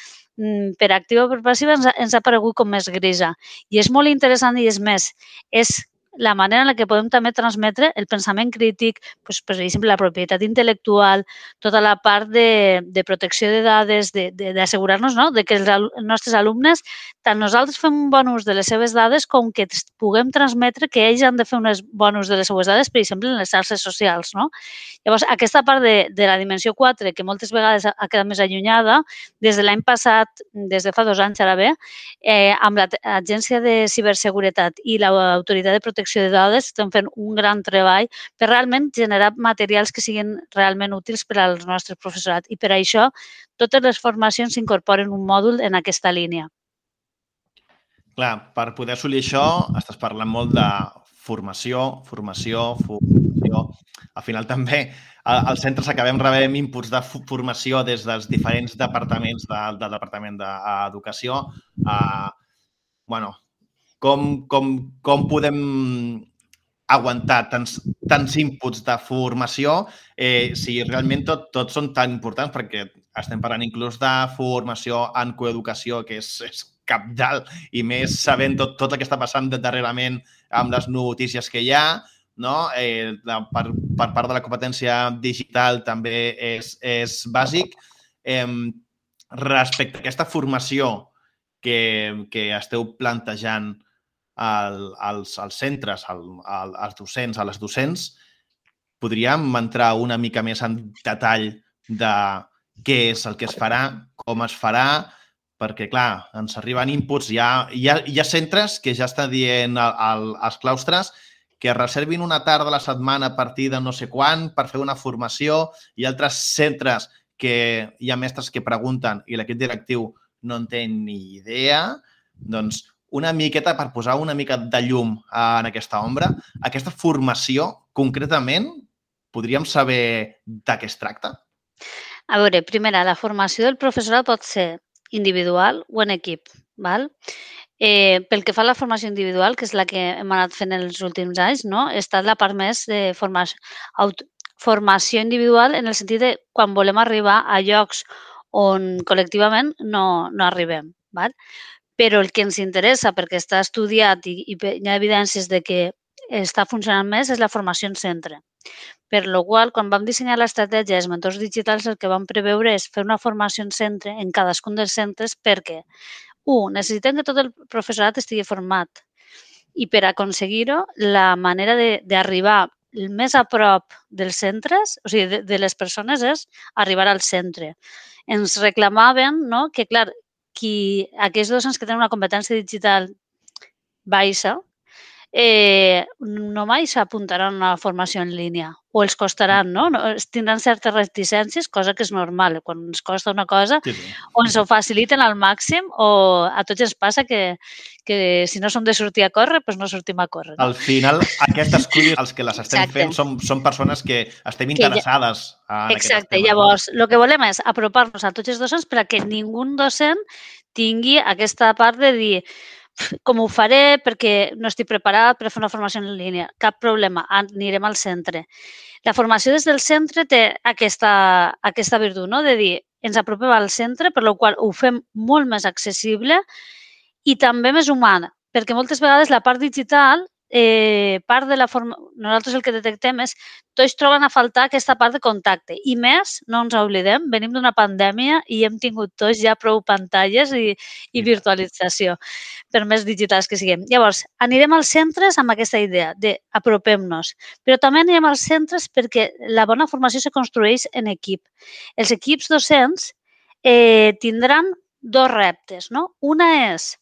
Speaker 8: per activa o per passiva, ens ha, ens ha paregut com més grisa. I és molt interessant i és més, és la manera en la que podem també transmetre el pensament crític, doncs, per exemple, la propietat intel·lectual, tota la part de, de protecció de dades, d'assegurar-nos, no?, de que els, els nostres alumnes, tant nosaltres fem un bon ús de les seves dades com que puguem transmetre que ells han de fer un bon ús de les seves dades, per exemple, en les xarxes socials, no? Llavors, aquesta part de, de la dimensió quatre, que moltes vegades ha quedat més allunyada, des de l'any passat, des de fa dos anys ara bé, eh, amb l'Agència de Ciberseguretat i l'Autoritat de Protecció de dades estem fent un gran treball per realment generar materials que siguin realment útils per al nostre professorat i per això totes les formacions incorporen un mòdul en aquesta línia.
Speaker 2: Clar, per poder assolir això estàs parlant molt de formació, formació, formació. Al final també als centres acabem rebent inputs de formació des dels diferents departaments de, del Departament d'Educació. Uh, bueno, Com, com, com podem aguantar tants, tants inputs de formació eh, si realment tot, tots són tan importants, perquè estem parlant inclús de formació en coeducació, que és, és cabdal, i més sabent tot, tot el que està passant darrerament amb les notícies que hi ha, no? Eh, per, per part de la competència digital també és, és bàsic. Eh, respecte a aquesta formació que, que esteu plantejant als, als centres, als docents, a les docents, podríem entrar una mica més en detall de què és el que es farà, com es farà, perquè, clar, ens arriben inputs. Hi ha, hi ha, hi ha centres que ja estan dient al, als claustres que reservin una tarda a la setmana a partir de no sé quan per fer una formació. Hi ha altres centres que hi ha mestres que pregunten i l'equip directiu no en té ni idea. Doncs una miqueta per posar una mica de llum en aquesta ombra. Aquesta formació, concretament, podríem saber de què es tracta?
Speaker 8: A veure, primera, la formació del professorat pot ser individual o en equip, val? Eh, pel que fa a la formació individual, que és la que hem anat fent els últims anys, no? Està la part més de formació, aut, formació individual en el sentit de quan volem arribar a llocs on col·lectivament no, no arribem. Val? Però el que ens interessa, perquè està estudiat i, i hi ha evidències de que està funcionant més, és la formació en centre. Per lo qual, quan vam dissenyar l'estratègia dels mentors digitals, el que vam preveure és fer una formació en centre en cadascun dels centres perquè, un, necessitem que tot el professorat estigui format i per aconseguir-ho, la manera d'arribar més a prop dels centres, o sigui, de, de les persones, és arribar al centre. Ens reclamaven, no?, que, clar, qui, aquells docents que tenen una competència digital baixa, eh, no mai s'apuntaran a una formació en línia o els costaran, no? Tindran certes reticències, cosa que és normal. Quan ens costa una cosa, sí, sí. O ens ho faciliten al màxim o a tots ens passa que, que si no som de sortir a córrer, doncs no sortim a córrer. No?
Speaker 2: Al final, aquestes cures, els que les estem Exacte. fent, són, són persones que estem interessades ja... en
Speaker 8: Exacte.
Speaker 2: aquest tema.
Speaker 8: Llavors, el que volem és apropar-nos a tots els docents perquè ningú docent tingui aquesta part de dir com ho faré perquè no estic preparat per fer una formació en línia. Cap problema, anirem al centre. La formació des del centre té aquesta, aquesta virtut, no?, de dir, ens apropem al centre, per la qual ho fem molt més accessible i també més humana, perquè moltes vegades la part digital, eh, part de la forma... nosaltres el que detectem és tots troben a faltar aquesta part de contacte i més, no ens oblidem, venim d'una pandèmia i hem tingut tots ja prou pantalles i, i virtualització, per més digitals que siguem. Llavors, anirem als centres amb aquesta idea d'apropem-nos, però també anirem als centres perquè la bona formació se construeix en equip. Els equips docents eh, tindran dos reptes, no? Una és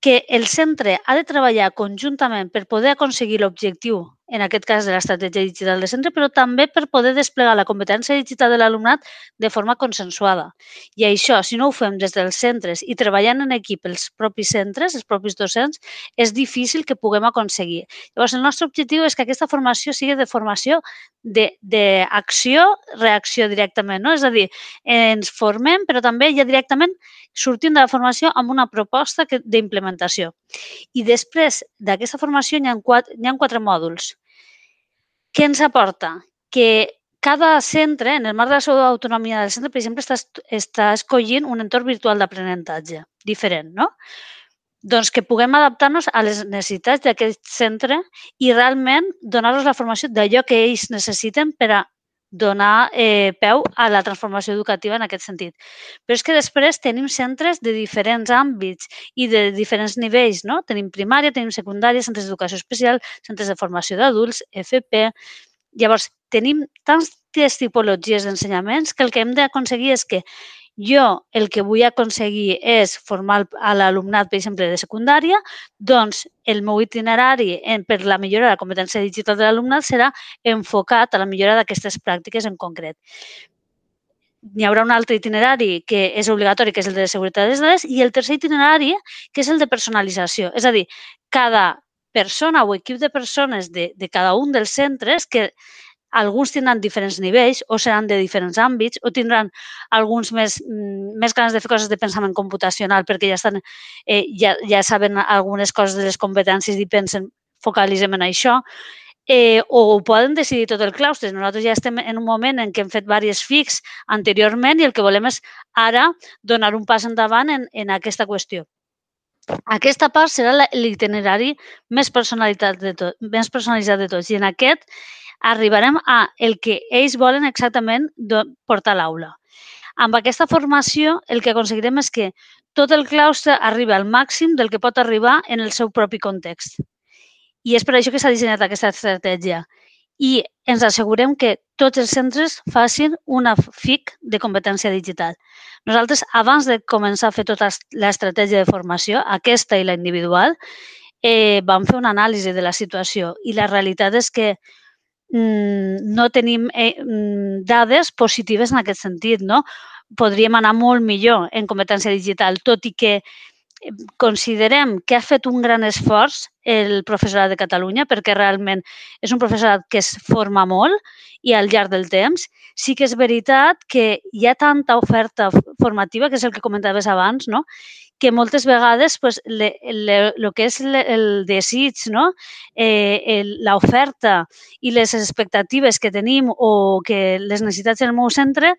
Speaker 8: que el centre ha de treballar conjuntament per poder aconseguir l'objectiu, en aquest cas de l'estratègia digital de centre, però també per poder desplegar la competència digital de l'alumnat de forma consensuada. I això, si no ho fem des dels centres i treballant en equip els propis centres, els propis docents, és difícil que puguem aconseguir. Llavors, el nostre objectiu és que aquesta formació sigui de formació d'acció, reacció directament, no? És a dir, ens formem, però també ja directament sortim de la formació amb una proposta d'implementació. I després d'aquesta formació hi ha quatre, hi ha quatre mòduls. Què ens aporta? Que cada centre, en el marc de la seva autonomia del centre, per exemple, està, està escollint un entorn virtual d'aprenentatge diferent, no? Doncs que puguem adaptar-nos a les necessitats d'aquest centre i realment donar-los la formació d'allò que ells necessiten per a donar eh, peu a la transformació educativa en aquest sentit. Però és que després tenim centres de diferents àmbits i de diferents nivells, no? Tenim primària, tenim secundària, centres d'educació especial, centres de formació d'adults, F P... Llavors, tenim tantes tipologies d'ensenyaments que el que hem d'aconseguir és que jo el que vull aconseguir és formar a l'alumnat, per exemple, de secundària, doncs el meu itinerari per la millora de la competència digital de l'alumnat serà enfocat a la millora d'aquestes pràctiques en concret. Hi haurà un altre itinerari que és obligatori, que és el de seguretat de les dades, i el tercer itinerari, que és el de personalització. És a dir, cada persona o equip de persones de, de cada un dels centres, que alguns tindran diferents nivells o seran de diferents àmbits o tindran alguns més, més ganes de fer coses de pensament computacional perquè ja, estan, eh, ja, ja saben algunes coses de les competències i pensen, focalitzem en això, eh, o ho poden decidir tot el claustre. Nosaltres ja estem en un moment en què hem fet diversos F I Cs anteriorment i el que volem és ara donar un pas endavant en, en aquesta qüestió. Aquesta part serà l'itinerari més personalitzat de tot, més personalitzat de tots i en aquest arribarem a el que ells volen exactament portar a l'aula. Amb aquesta formació el que aconseguirem és que tot el claustre arribi al màxim del que pot arribar en el seu propi context. I és per això que s'ha dissenyat aquesta estratègia. I ens assegurem que tots els centres facin una F I C de competència digital. Nosaltres, abans de començar a fer tota l'estratègia de formació, aquesta i la individual, eh, vam fer una anàlisi de la situació i la realitat és que mm, no tenim eh, dades positives en aquest sentit, no? Podríem anar molt millor en competència digital, tot i que considerem que ha fet un gran esforç el professorat de Catalunya, perquè realment és un professorat que es forma molt i al llarg del temps. Sí que és veritat que hi ha tanta oferta formativa, que és el que comentaves abans, no? Que moltes vegades pues, le, le, lo que és le, el desig, no? eh, l'oferta i les expectatives que tenim o que les necessitats del meu centre,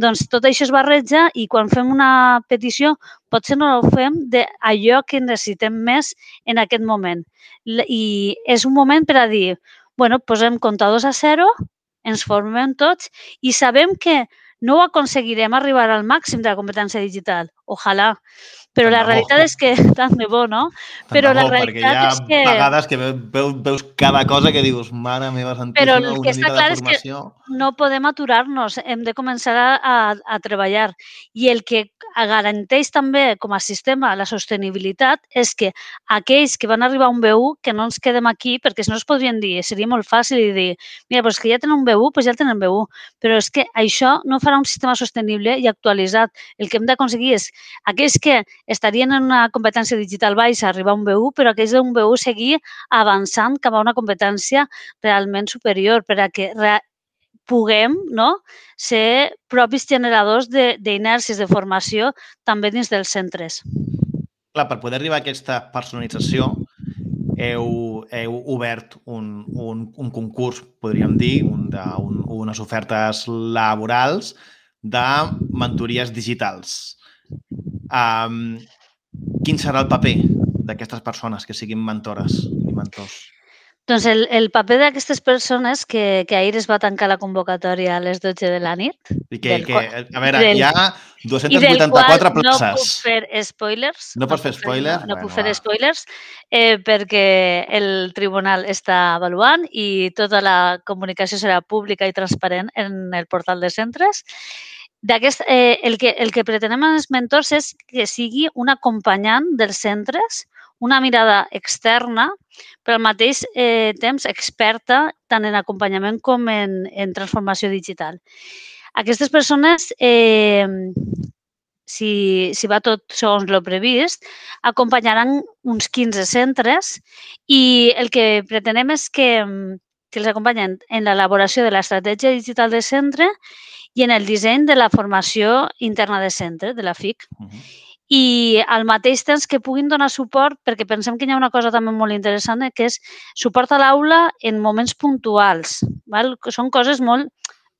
Speaker 8: doncs tot això es barreja i quan fem una petició potser no ho fem d'allò que necessitem més en aquest moment. I és un moment per a dir, bueno, posem comptadors a zero, ens formem tots i sabem que no ho aconseguirem arribar al màxim de la competència digital. Ojalà. Però la realitat és que, tant de bo, no? Però la realitat és que...
Speaker 2: Perquè hi ha vegades que veus, veus cada cosa que dius, mare meva santíssima,
Speaker 8: però el que
Speaker 2: una
Speaker 8: està
Speaker 2: mica
Speaker 8: clar
Speaker 2: de formació...
Speaker 8: és que no podem aturar-nos, hem de començar a, a, a treballar. I el que garanteix també com a sistema la sostenibilitat és que aquells que van arribar a un B u, que no ens quedem aquí, perquè si no es podrien dir, seria molt fàcil dir, mira, doncs que ja tenen un B u, doncs ja tenen B u. Però és que això no farà un sistema sostenible i actualitzat. El que hem d'aconseguir és aquells que estarien en una competència digital baixa arribar a un B u, però aquells d'un B u seguir avançant cap a una competència realment superior per a que re puguem no, ser propis generadors d'inèrcies de, de formació també dins dels centres.
Speaker 2: Clar, per poder arribar a aquesta personalització heu, heu obert un, un, un concurs, podríem dir, un de, un, unes ofertes laborals de mentories digitals. Um, quin serà el paper d'aquestes persones que siguin mentores i mentors?
Speaker 8: Doncs el, el paper d'aquestes persones, que, que ahir es va tancar la convocatòria a les dotze de la nit.
Speaker 2: I que, que a veure,
Speaker 8: del,
Speaker 2: hi ha dos-cents vuitanta-quatre places.
Speaker 8: No puc fer spoilers.
Speaker 2: No pots fer spoilers?
Speaker 8: No, no bueno, puc fer spoilers eh, perquè el tribunal està avaluant i tota la comunicació serà pública i transparent en el portal de centres. D'aquest, eh, el, que, el que pretenem amb els mentors és que sigui un acompanyant dels centres, una mirada externa, però al mateix eh, temps experta tant en acompanyament com en, en transformació digital. Aquestes persones, eh, si, si va tot segons el previst, acompanyaran uns quinze centres i el que pretenem és que, que els acompanyen en l'elaboració de l'estratègia digital de centre i en el disseny de la formació interna de centre, de la F I C. Uh-huh. I al mateix temps que puguin donar suport, perquè pensem que hi ha una cosa també molt interessant, que és suport a l'aula en moments puntuals. Val? Són coses molt...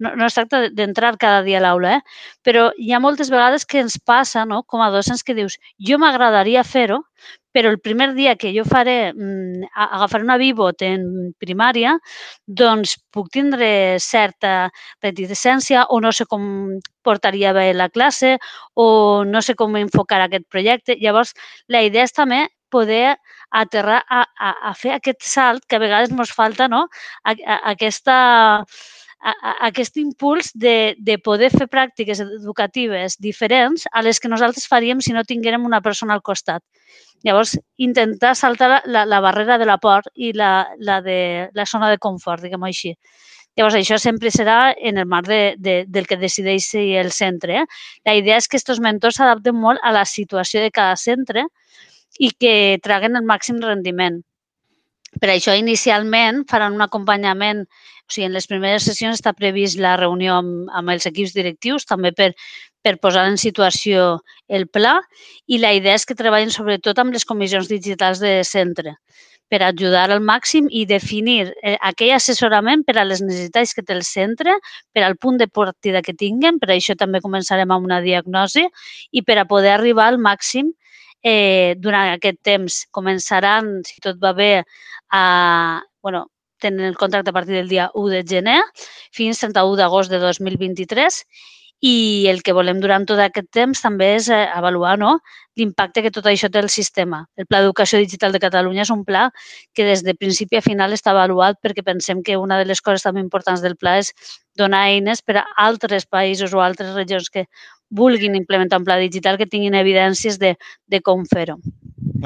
Speaker 8: No, no es tracta d'entrar cada dia a l'aula, eh? Però hi ha moltes vegades que ens passa, no? Com a docents, que dius, jo m'agradaria fer-ho, però el primer dia que jo faré, agafaré una Vivot en primària, doncs puc tindre certa reticència o no sé com portaria bé la classe o no sé com enfocar aquest projecte. Llavors, la idea és també poder aterrar a, a, a fer aquest salt que a vegades ens falta, no? A, a, aquesta... A, a, aquest impuls de, de poder fer pràctiques educatives diferents a les que nosaltres faríem si no tinguérem una persona al costat. Llavors, intentar saltar la, la, la barrera de la por i la, la, de, la zona de confort, diguem-ho així. Llavors, això sempre serà en el marc de, de, del que decideixi el centre. Eh? La idea és que aquests mentors s'adapten molt a la situació de cada centre i que traguen el màxim rendiment. Per això, inicialment, faran un acompanyament. O sigui, en les primeres sessions està previst la reunió amb, amb els equips directius, també per, per posar en situació el pla, i la idea és que treballin sobretot amb les comissions digitals de centre per ajudar al màxim i definir aquell assessorament per a les necessitats que té el centre, per al punt de partida que tinguen, per això també començarem amb una diagnosi i per a poder arribar al màxim eh, durant aquest temps. Començaran, si tot va bé, a... Bueno, tenen el contracte a partir del dia u de gener fins trenta-u d'agost de dos mil vint-i-tres i el que volem durant tot aquest temps també és avaluar no, l'impacte que tot això té al sistema. El Pla d'Educació Digital de Catalunya és un pla que des de principi a final està avaluat perquè pensem que una de les coses també importants del pla és donar eines per a altres països o altres regions que vulguin implementar un pla digital que tinguin evidències de, de com fer-ho.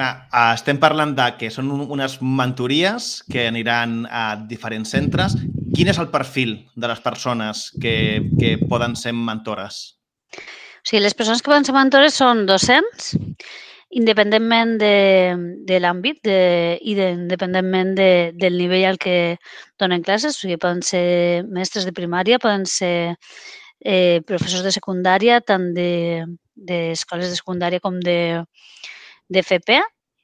Speaker 2: Ah, estem parlant de que són unes mentories que aniran a diferents centres. Quin és el perfil de les persones que, que poden ser mentores?
Speaker 8: O sigui, les persones que poden ser mentores són docents, independentment de, de l'àmbit de, i de, independentment de, del nivell al que donen classes. O sigui, poden ser mestres de primària, poden ser eh, professors de secundària, tant d'escoles de, de secundària com de, de F P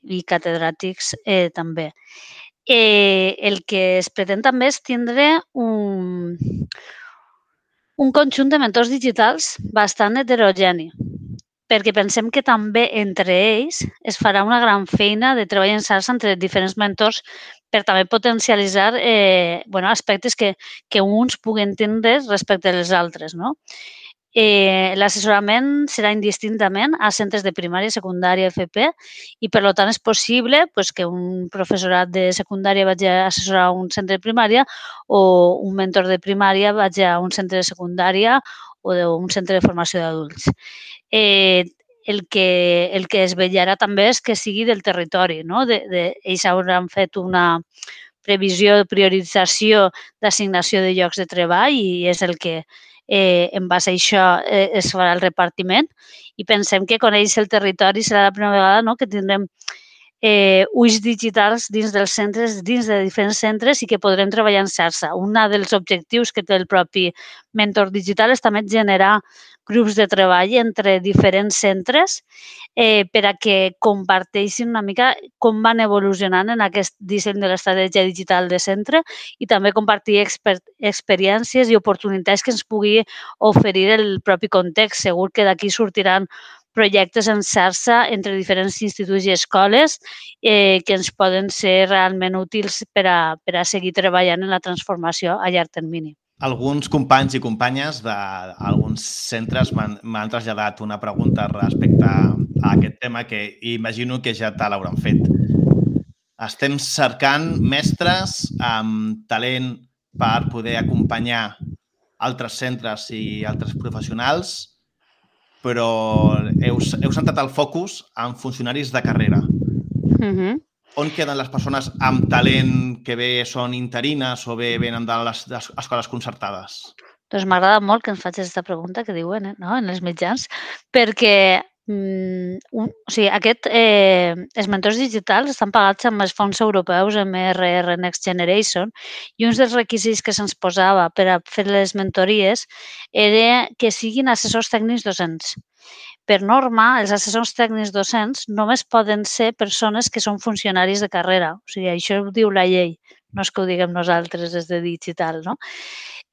Speaker 8: i catedràtics eh, també. Eh, el que es pretén també és tindre un, un conjunt de mentors digitals bastant heterogeni, perquè pensem que també entre ells es farà una gran feina de treball en xarxa entre diferents mentors per també potencialitzar eh, bueno, aspectes que, que uns puguen tindre respecte als altres, no? Eh, L'assessorament serà indistintament a centres de primària, secundària, F P, i per tant és possible pues, que un professorat de secundària vagi a assessorar un centre de primària o un mentor de primària vagi a un centre de secundària o un centre de formació d'adults. Eh, el, que, el que es vetllarà també és que sigui del territori, no? De, de, ells hauran fet una previsió de priorització d'assignació de llocs de treball i és el que Eh, en base a això eh, es farà el repartiment i pensem que conèixer el territori serà la primera vegada no, que tindrem eh, ulls digitals dins dels centres, dins de diferents centres i que podrem treballar en xarxa. Un dels objectius que té el propi mentor digital és també generar grups de treball entre diferents centres eh, per a que comparteixin una mica com van evolucionant en aquest disseny de l'estratègia digital de centre i també compartir exper experiències i oportunitats que ens pugui oferir el propi context. Segur que d'aquí sortiran projectes en xarxa entre diferents instituts i escoles eh, que ens poden ser realment útils per a, per a seguir treballant en la transformació a llarg termini.
Speaker 2: Alguns companys i companyes d'alguns centres m'han traslladat una pregunta respecte a aquest tema que imagino que ja te l'hauran fet. Estem cercant mestres amb talent per poder acompanyar altres centres i altres professionals, però heu, heu centrat el focus en funcionaris de carrera.
Speaker 8: Mm-hmm.
Speaker 2: On queden les persones amb talent que bé són interines o bé venen de les, de les escoles concertades?
Speaker 8: Doncs m'agrada molt que ens facis aquesta pregunta que diuen eh, no? en els mitjans, perquè mm, un, o sigui, aquest, eh, els mentors digitals estan pagats amb els fons europeus M R R Next Generation i un dels requisits que se'ns posava per a fer les mentories era que siguin assessors tècnics docents. Per norma, els assessors tècnics docents només poden ser persones que són funcionaris de carrera. O sigui, això ho diu la llei, no és que ho diguem nosaltres des de digital, no?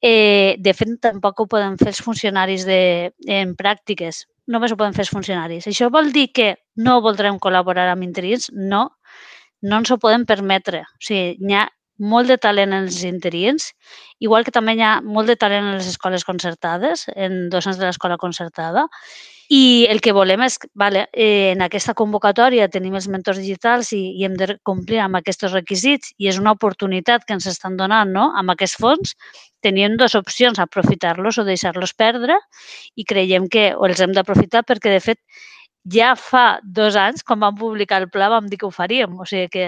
Speaker 8: Eh, de fet, tampoc ho poden fer els funcionaris de, en pràctiques. Només ho poden fer els funcionaris. Això vol dir que no voldrem col·laborar amb interins? No, no ens ho podem permetre. O sigui, hi ha molt de talent en els interins, igual que també hi ha molt de talent en les escoles concertades, en docents de l'escola concertada, i el que volem és, vale, eh, en aquesta convocatòria tenim els mentors digitals i, i hem de complir amb aquests requisits i és una oportunitat que ens estan donant no? Amb aquests fons. Tenim dues opcions, aprofitar-los o deixar-los perdre i creiem que o els hem d'aprofitar perquè, de fet, ja fa dos anys, quan vam publicar el pla, vam dir que ho faríem. O sigui que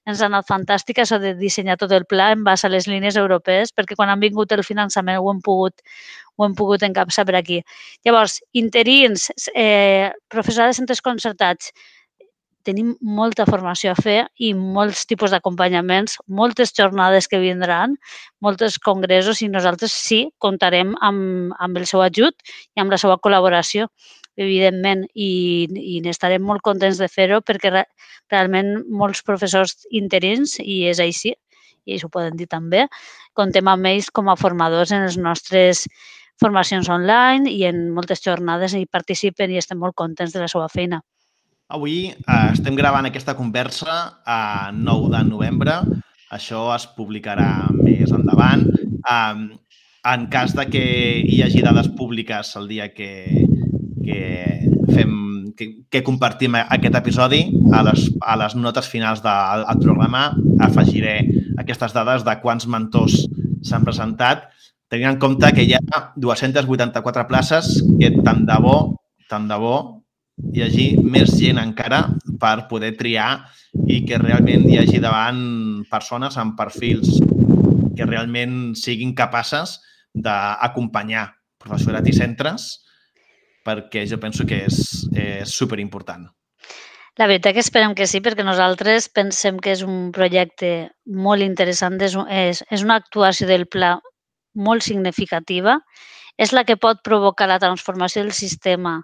Speaker 8: ens ha anat fantàstic això de dissenyar tot el pla en base a les línies europees, perquè quan han vingut el finançament ho hem pogut, ho hem pogut encapçar per aquí. Llavors, interins, eh, professorat de centres concertats, tenim molta formació a fer i molts tipus d'acompanyaments, moltes jornades que vindran, molts congressos i nosaltres sí comptarem amb, amb el seu ajut i amb la seva col·laboració, evidentment, i, i n'estarem molt contents de fer-ho perquè re, realment molts professors interins, i és així, i ells ho poden dir també, contem amb ells com a formadors en les nostres formacions online i en moltes jornades i participen i estem molt contents de la seva feina.
Speaker 2: Avui eh, estem gravant aquesta conversa a nou de novembre. Això es publicarà més endavant. Eh, en cas de que hi hagi dades públiques el dia que, que, fem, que, que compartim aquest episodi, a les, a les notes finals del programa afegiré aquestes dades de quants mentors s'han presentat, tenint en compte que hi ha dues-centes vuitanta-quatre places que tant de bo, tant de bo, hi hagi més gent encara per poder triar i que realment hi hagi davant persones amb perfils que realment siguin capaces d'acompanyar professorat i centres, perquè jo penso que és, és superimportant.
Speaker 8: La veritat que esperem que sí, perquè nosaltres pensem que és un projecte molt interessant, és, és, és una actuació del pla molt significativa, és la que pot provocar la transformació del sistema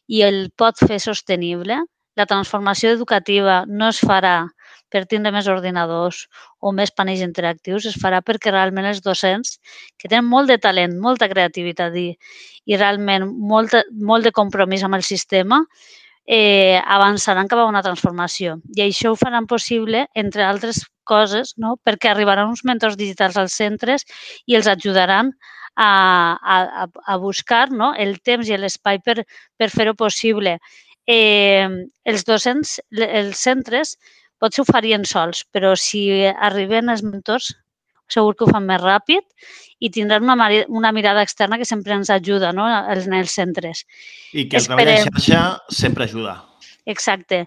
Speaker 8: i el pot fer sostenible. La transformació educativa no es farà per tindre més ordinadors o més panells interactius, es farà perquè realment els docents, que tenen molt de talent, molta creativitat i, i realment molt, molt de compromís amb el sistema, eh, avançaran cap a una transformació. I això ho faran possible, entre altres coses, no? Perquè arribaran uns mentors digitals als centres i els ajudaran a, a, a buscar, no? El temps i l'espai per, per fer-ho possible. Eh, els docents, els centres, potser ho farien sols, però si arriben els mentors, segur que ho fan més ràpid i tindran una, una mirada externa que sempre ens ajuda, no? En els centres.
Speaker 2: I que el treball en xarxa sempre ajuda.
Speaker 8: Exacte.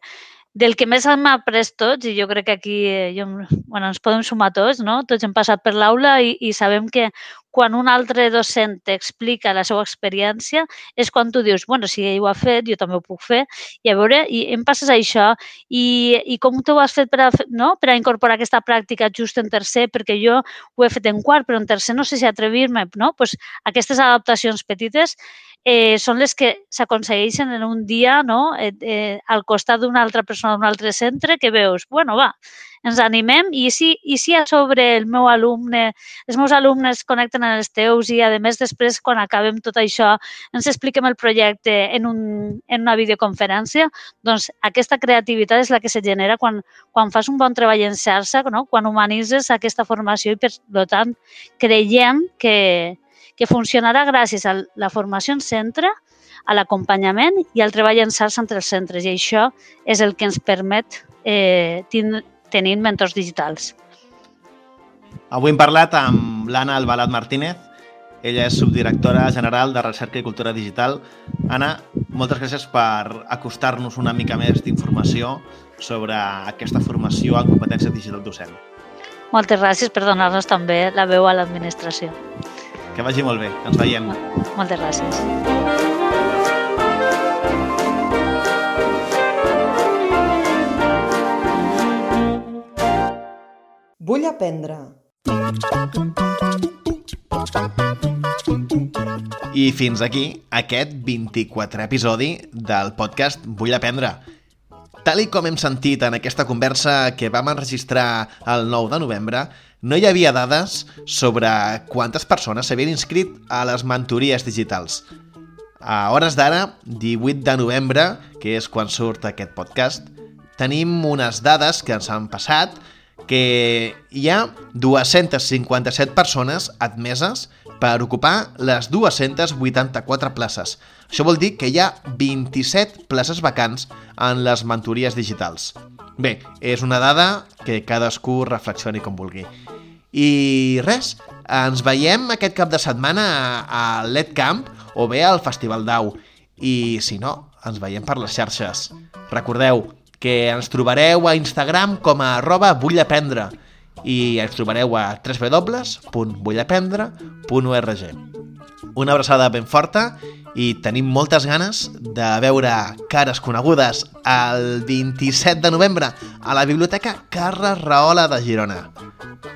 Speaker 8: Del que més hem après tots, i jo crec que aquí jo, bueno, ens podem sumar tots, no? Tots hem passat per l'aula i, i sabem que quan un altre docent t'explica la seva experiència és quan tu dius, bueno, si ell ho ha fet, jo també ho puc fer, i a veure, i em passes això, i, i com tu ho has fet per a, no? per a incorporar aquesta pràctica just en tercer, perquè jo ho he fet en quart, però en tercer no sé si atrevir-me, no? Pues aquestes adaptacions petites eh, són les que s'aconsegueixen en un dia, no? eh, eh, al costat d'una altra persona d'un altre centre, que veus, bueno, va, ens animem i si, i si a sobre el meu alumne, els meus alumnes connecten amb els teus i, a més, després, quan acabem tot això, ens expliquem el projecte en, un, en una videoconferència, doncs aquesta creativitat és la que se genera quan, quan fas un bon treball en xarxa, no? Quan humanitzes aquesta formació i, per tant, creiem que, que funcionarà gràcies a la formació en centre, a l'acompanyament i al treball en xarxa entre els centres. I això és el que ens permet eh, tindre tenint mentors digitals.
Speaker 2: Avui hem parlat amb l'Anna Albalat Martínez. Ella és subdirectora general de Recerca i Cultura Digital. Anna, moltes gràcies per acostar-nos una mica més d'informació sobre aquesta formació en competència digital docent.
Speaker 8: Moltes gràcies per donar-nos també la veu a l'administració.
Speaker 2: Que vagi molt bé. Ens veiem.
Speaker 8: Moltes gràcies.
Speaker 1: Vull aprendre.
Speaker 2: I fins aquí aquest vint-i-quatrè episodi del podcast Vull aprendre. Tal i com hem sentit en aquesta conversa que vam enregistrar el nou de novembre, no hi havia dades sobre quantes persones s'havien inscrit a les mentories digitals. A hores d'ara, divuit de novembre, que és quan surt aquest podcast, tenim unes dades que ens han passat que hi ha dues-centes cinquanta-set persones admeses per ocupar les dues-centes vuitanta-quatre places. Això vol dir que hi ha vint-i-set places vacants en les mentories digitals. Bé, és una dada que cadascú reflexioni com vulgui. I res, ens veiem aquest cap de setmana a l'EdCamp o bé al Festival d'Au. I si no, ens veiem per les xarxes. Recordeu que ens trobareu a Instagram com a arroba vullaprendre i ens trobareu a w w w punt vullaprendre punt org. Una abraçada ben forta i tenim moltes ganes de veure cares conegudes el vint-i-set de novembre a la Biblioteca Carles Rahola de Girona.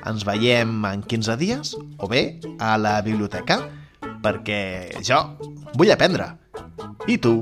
Speaker 2: Ens veiem en quinze dies o bé a la biblioteca perquè jo vull aprendre. I tu?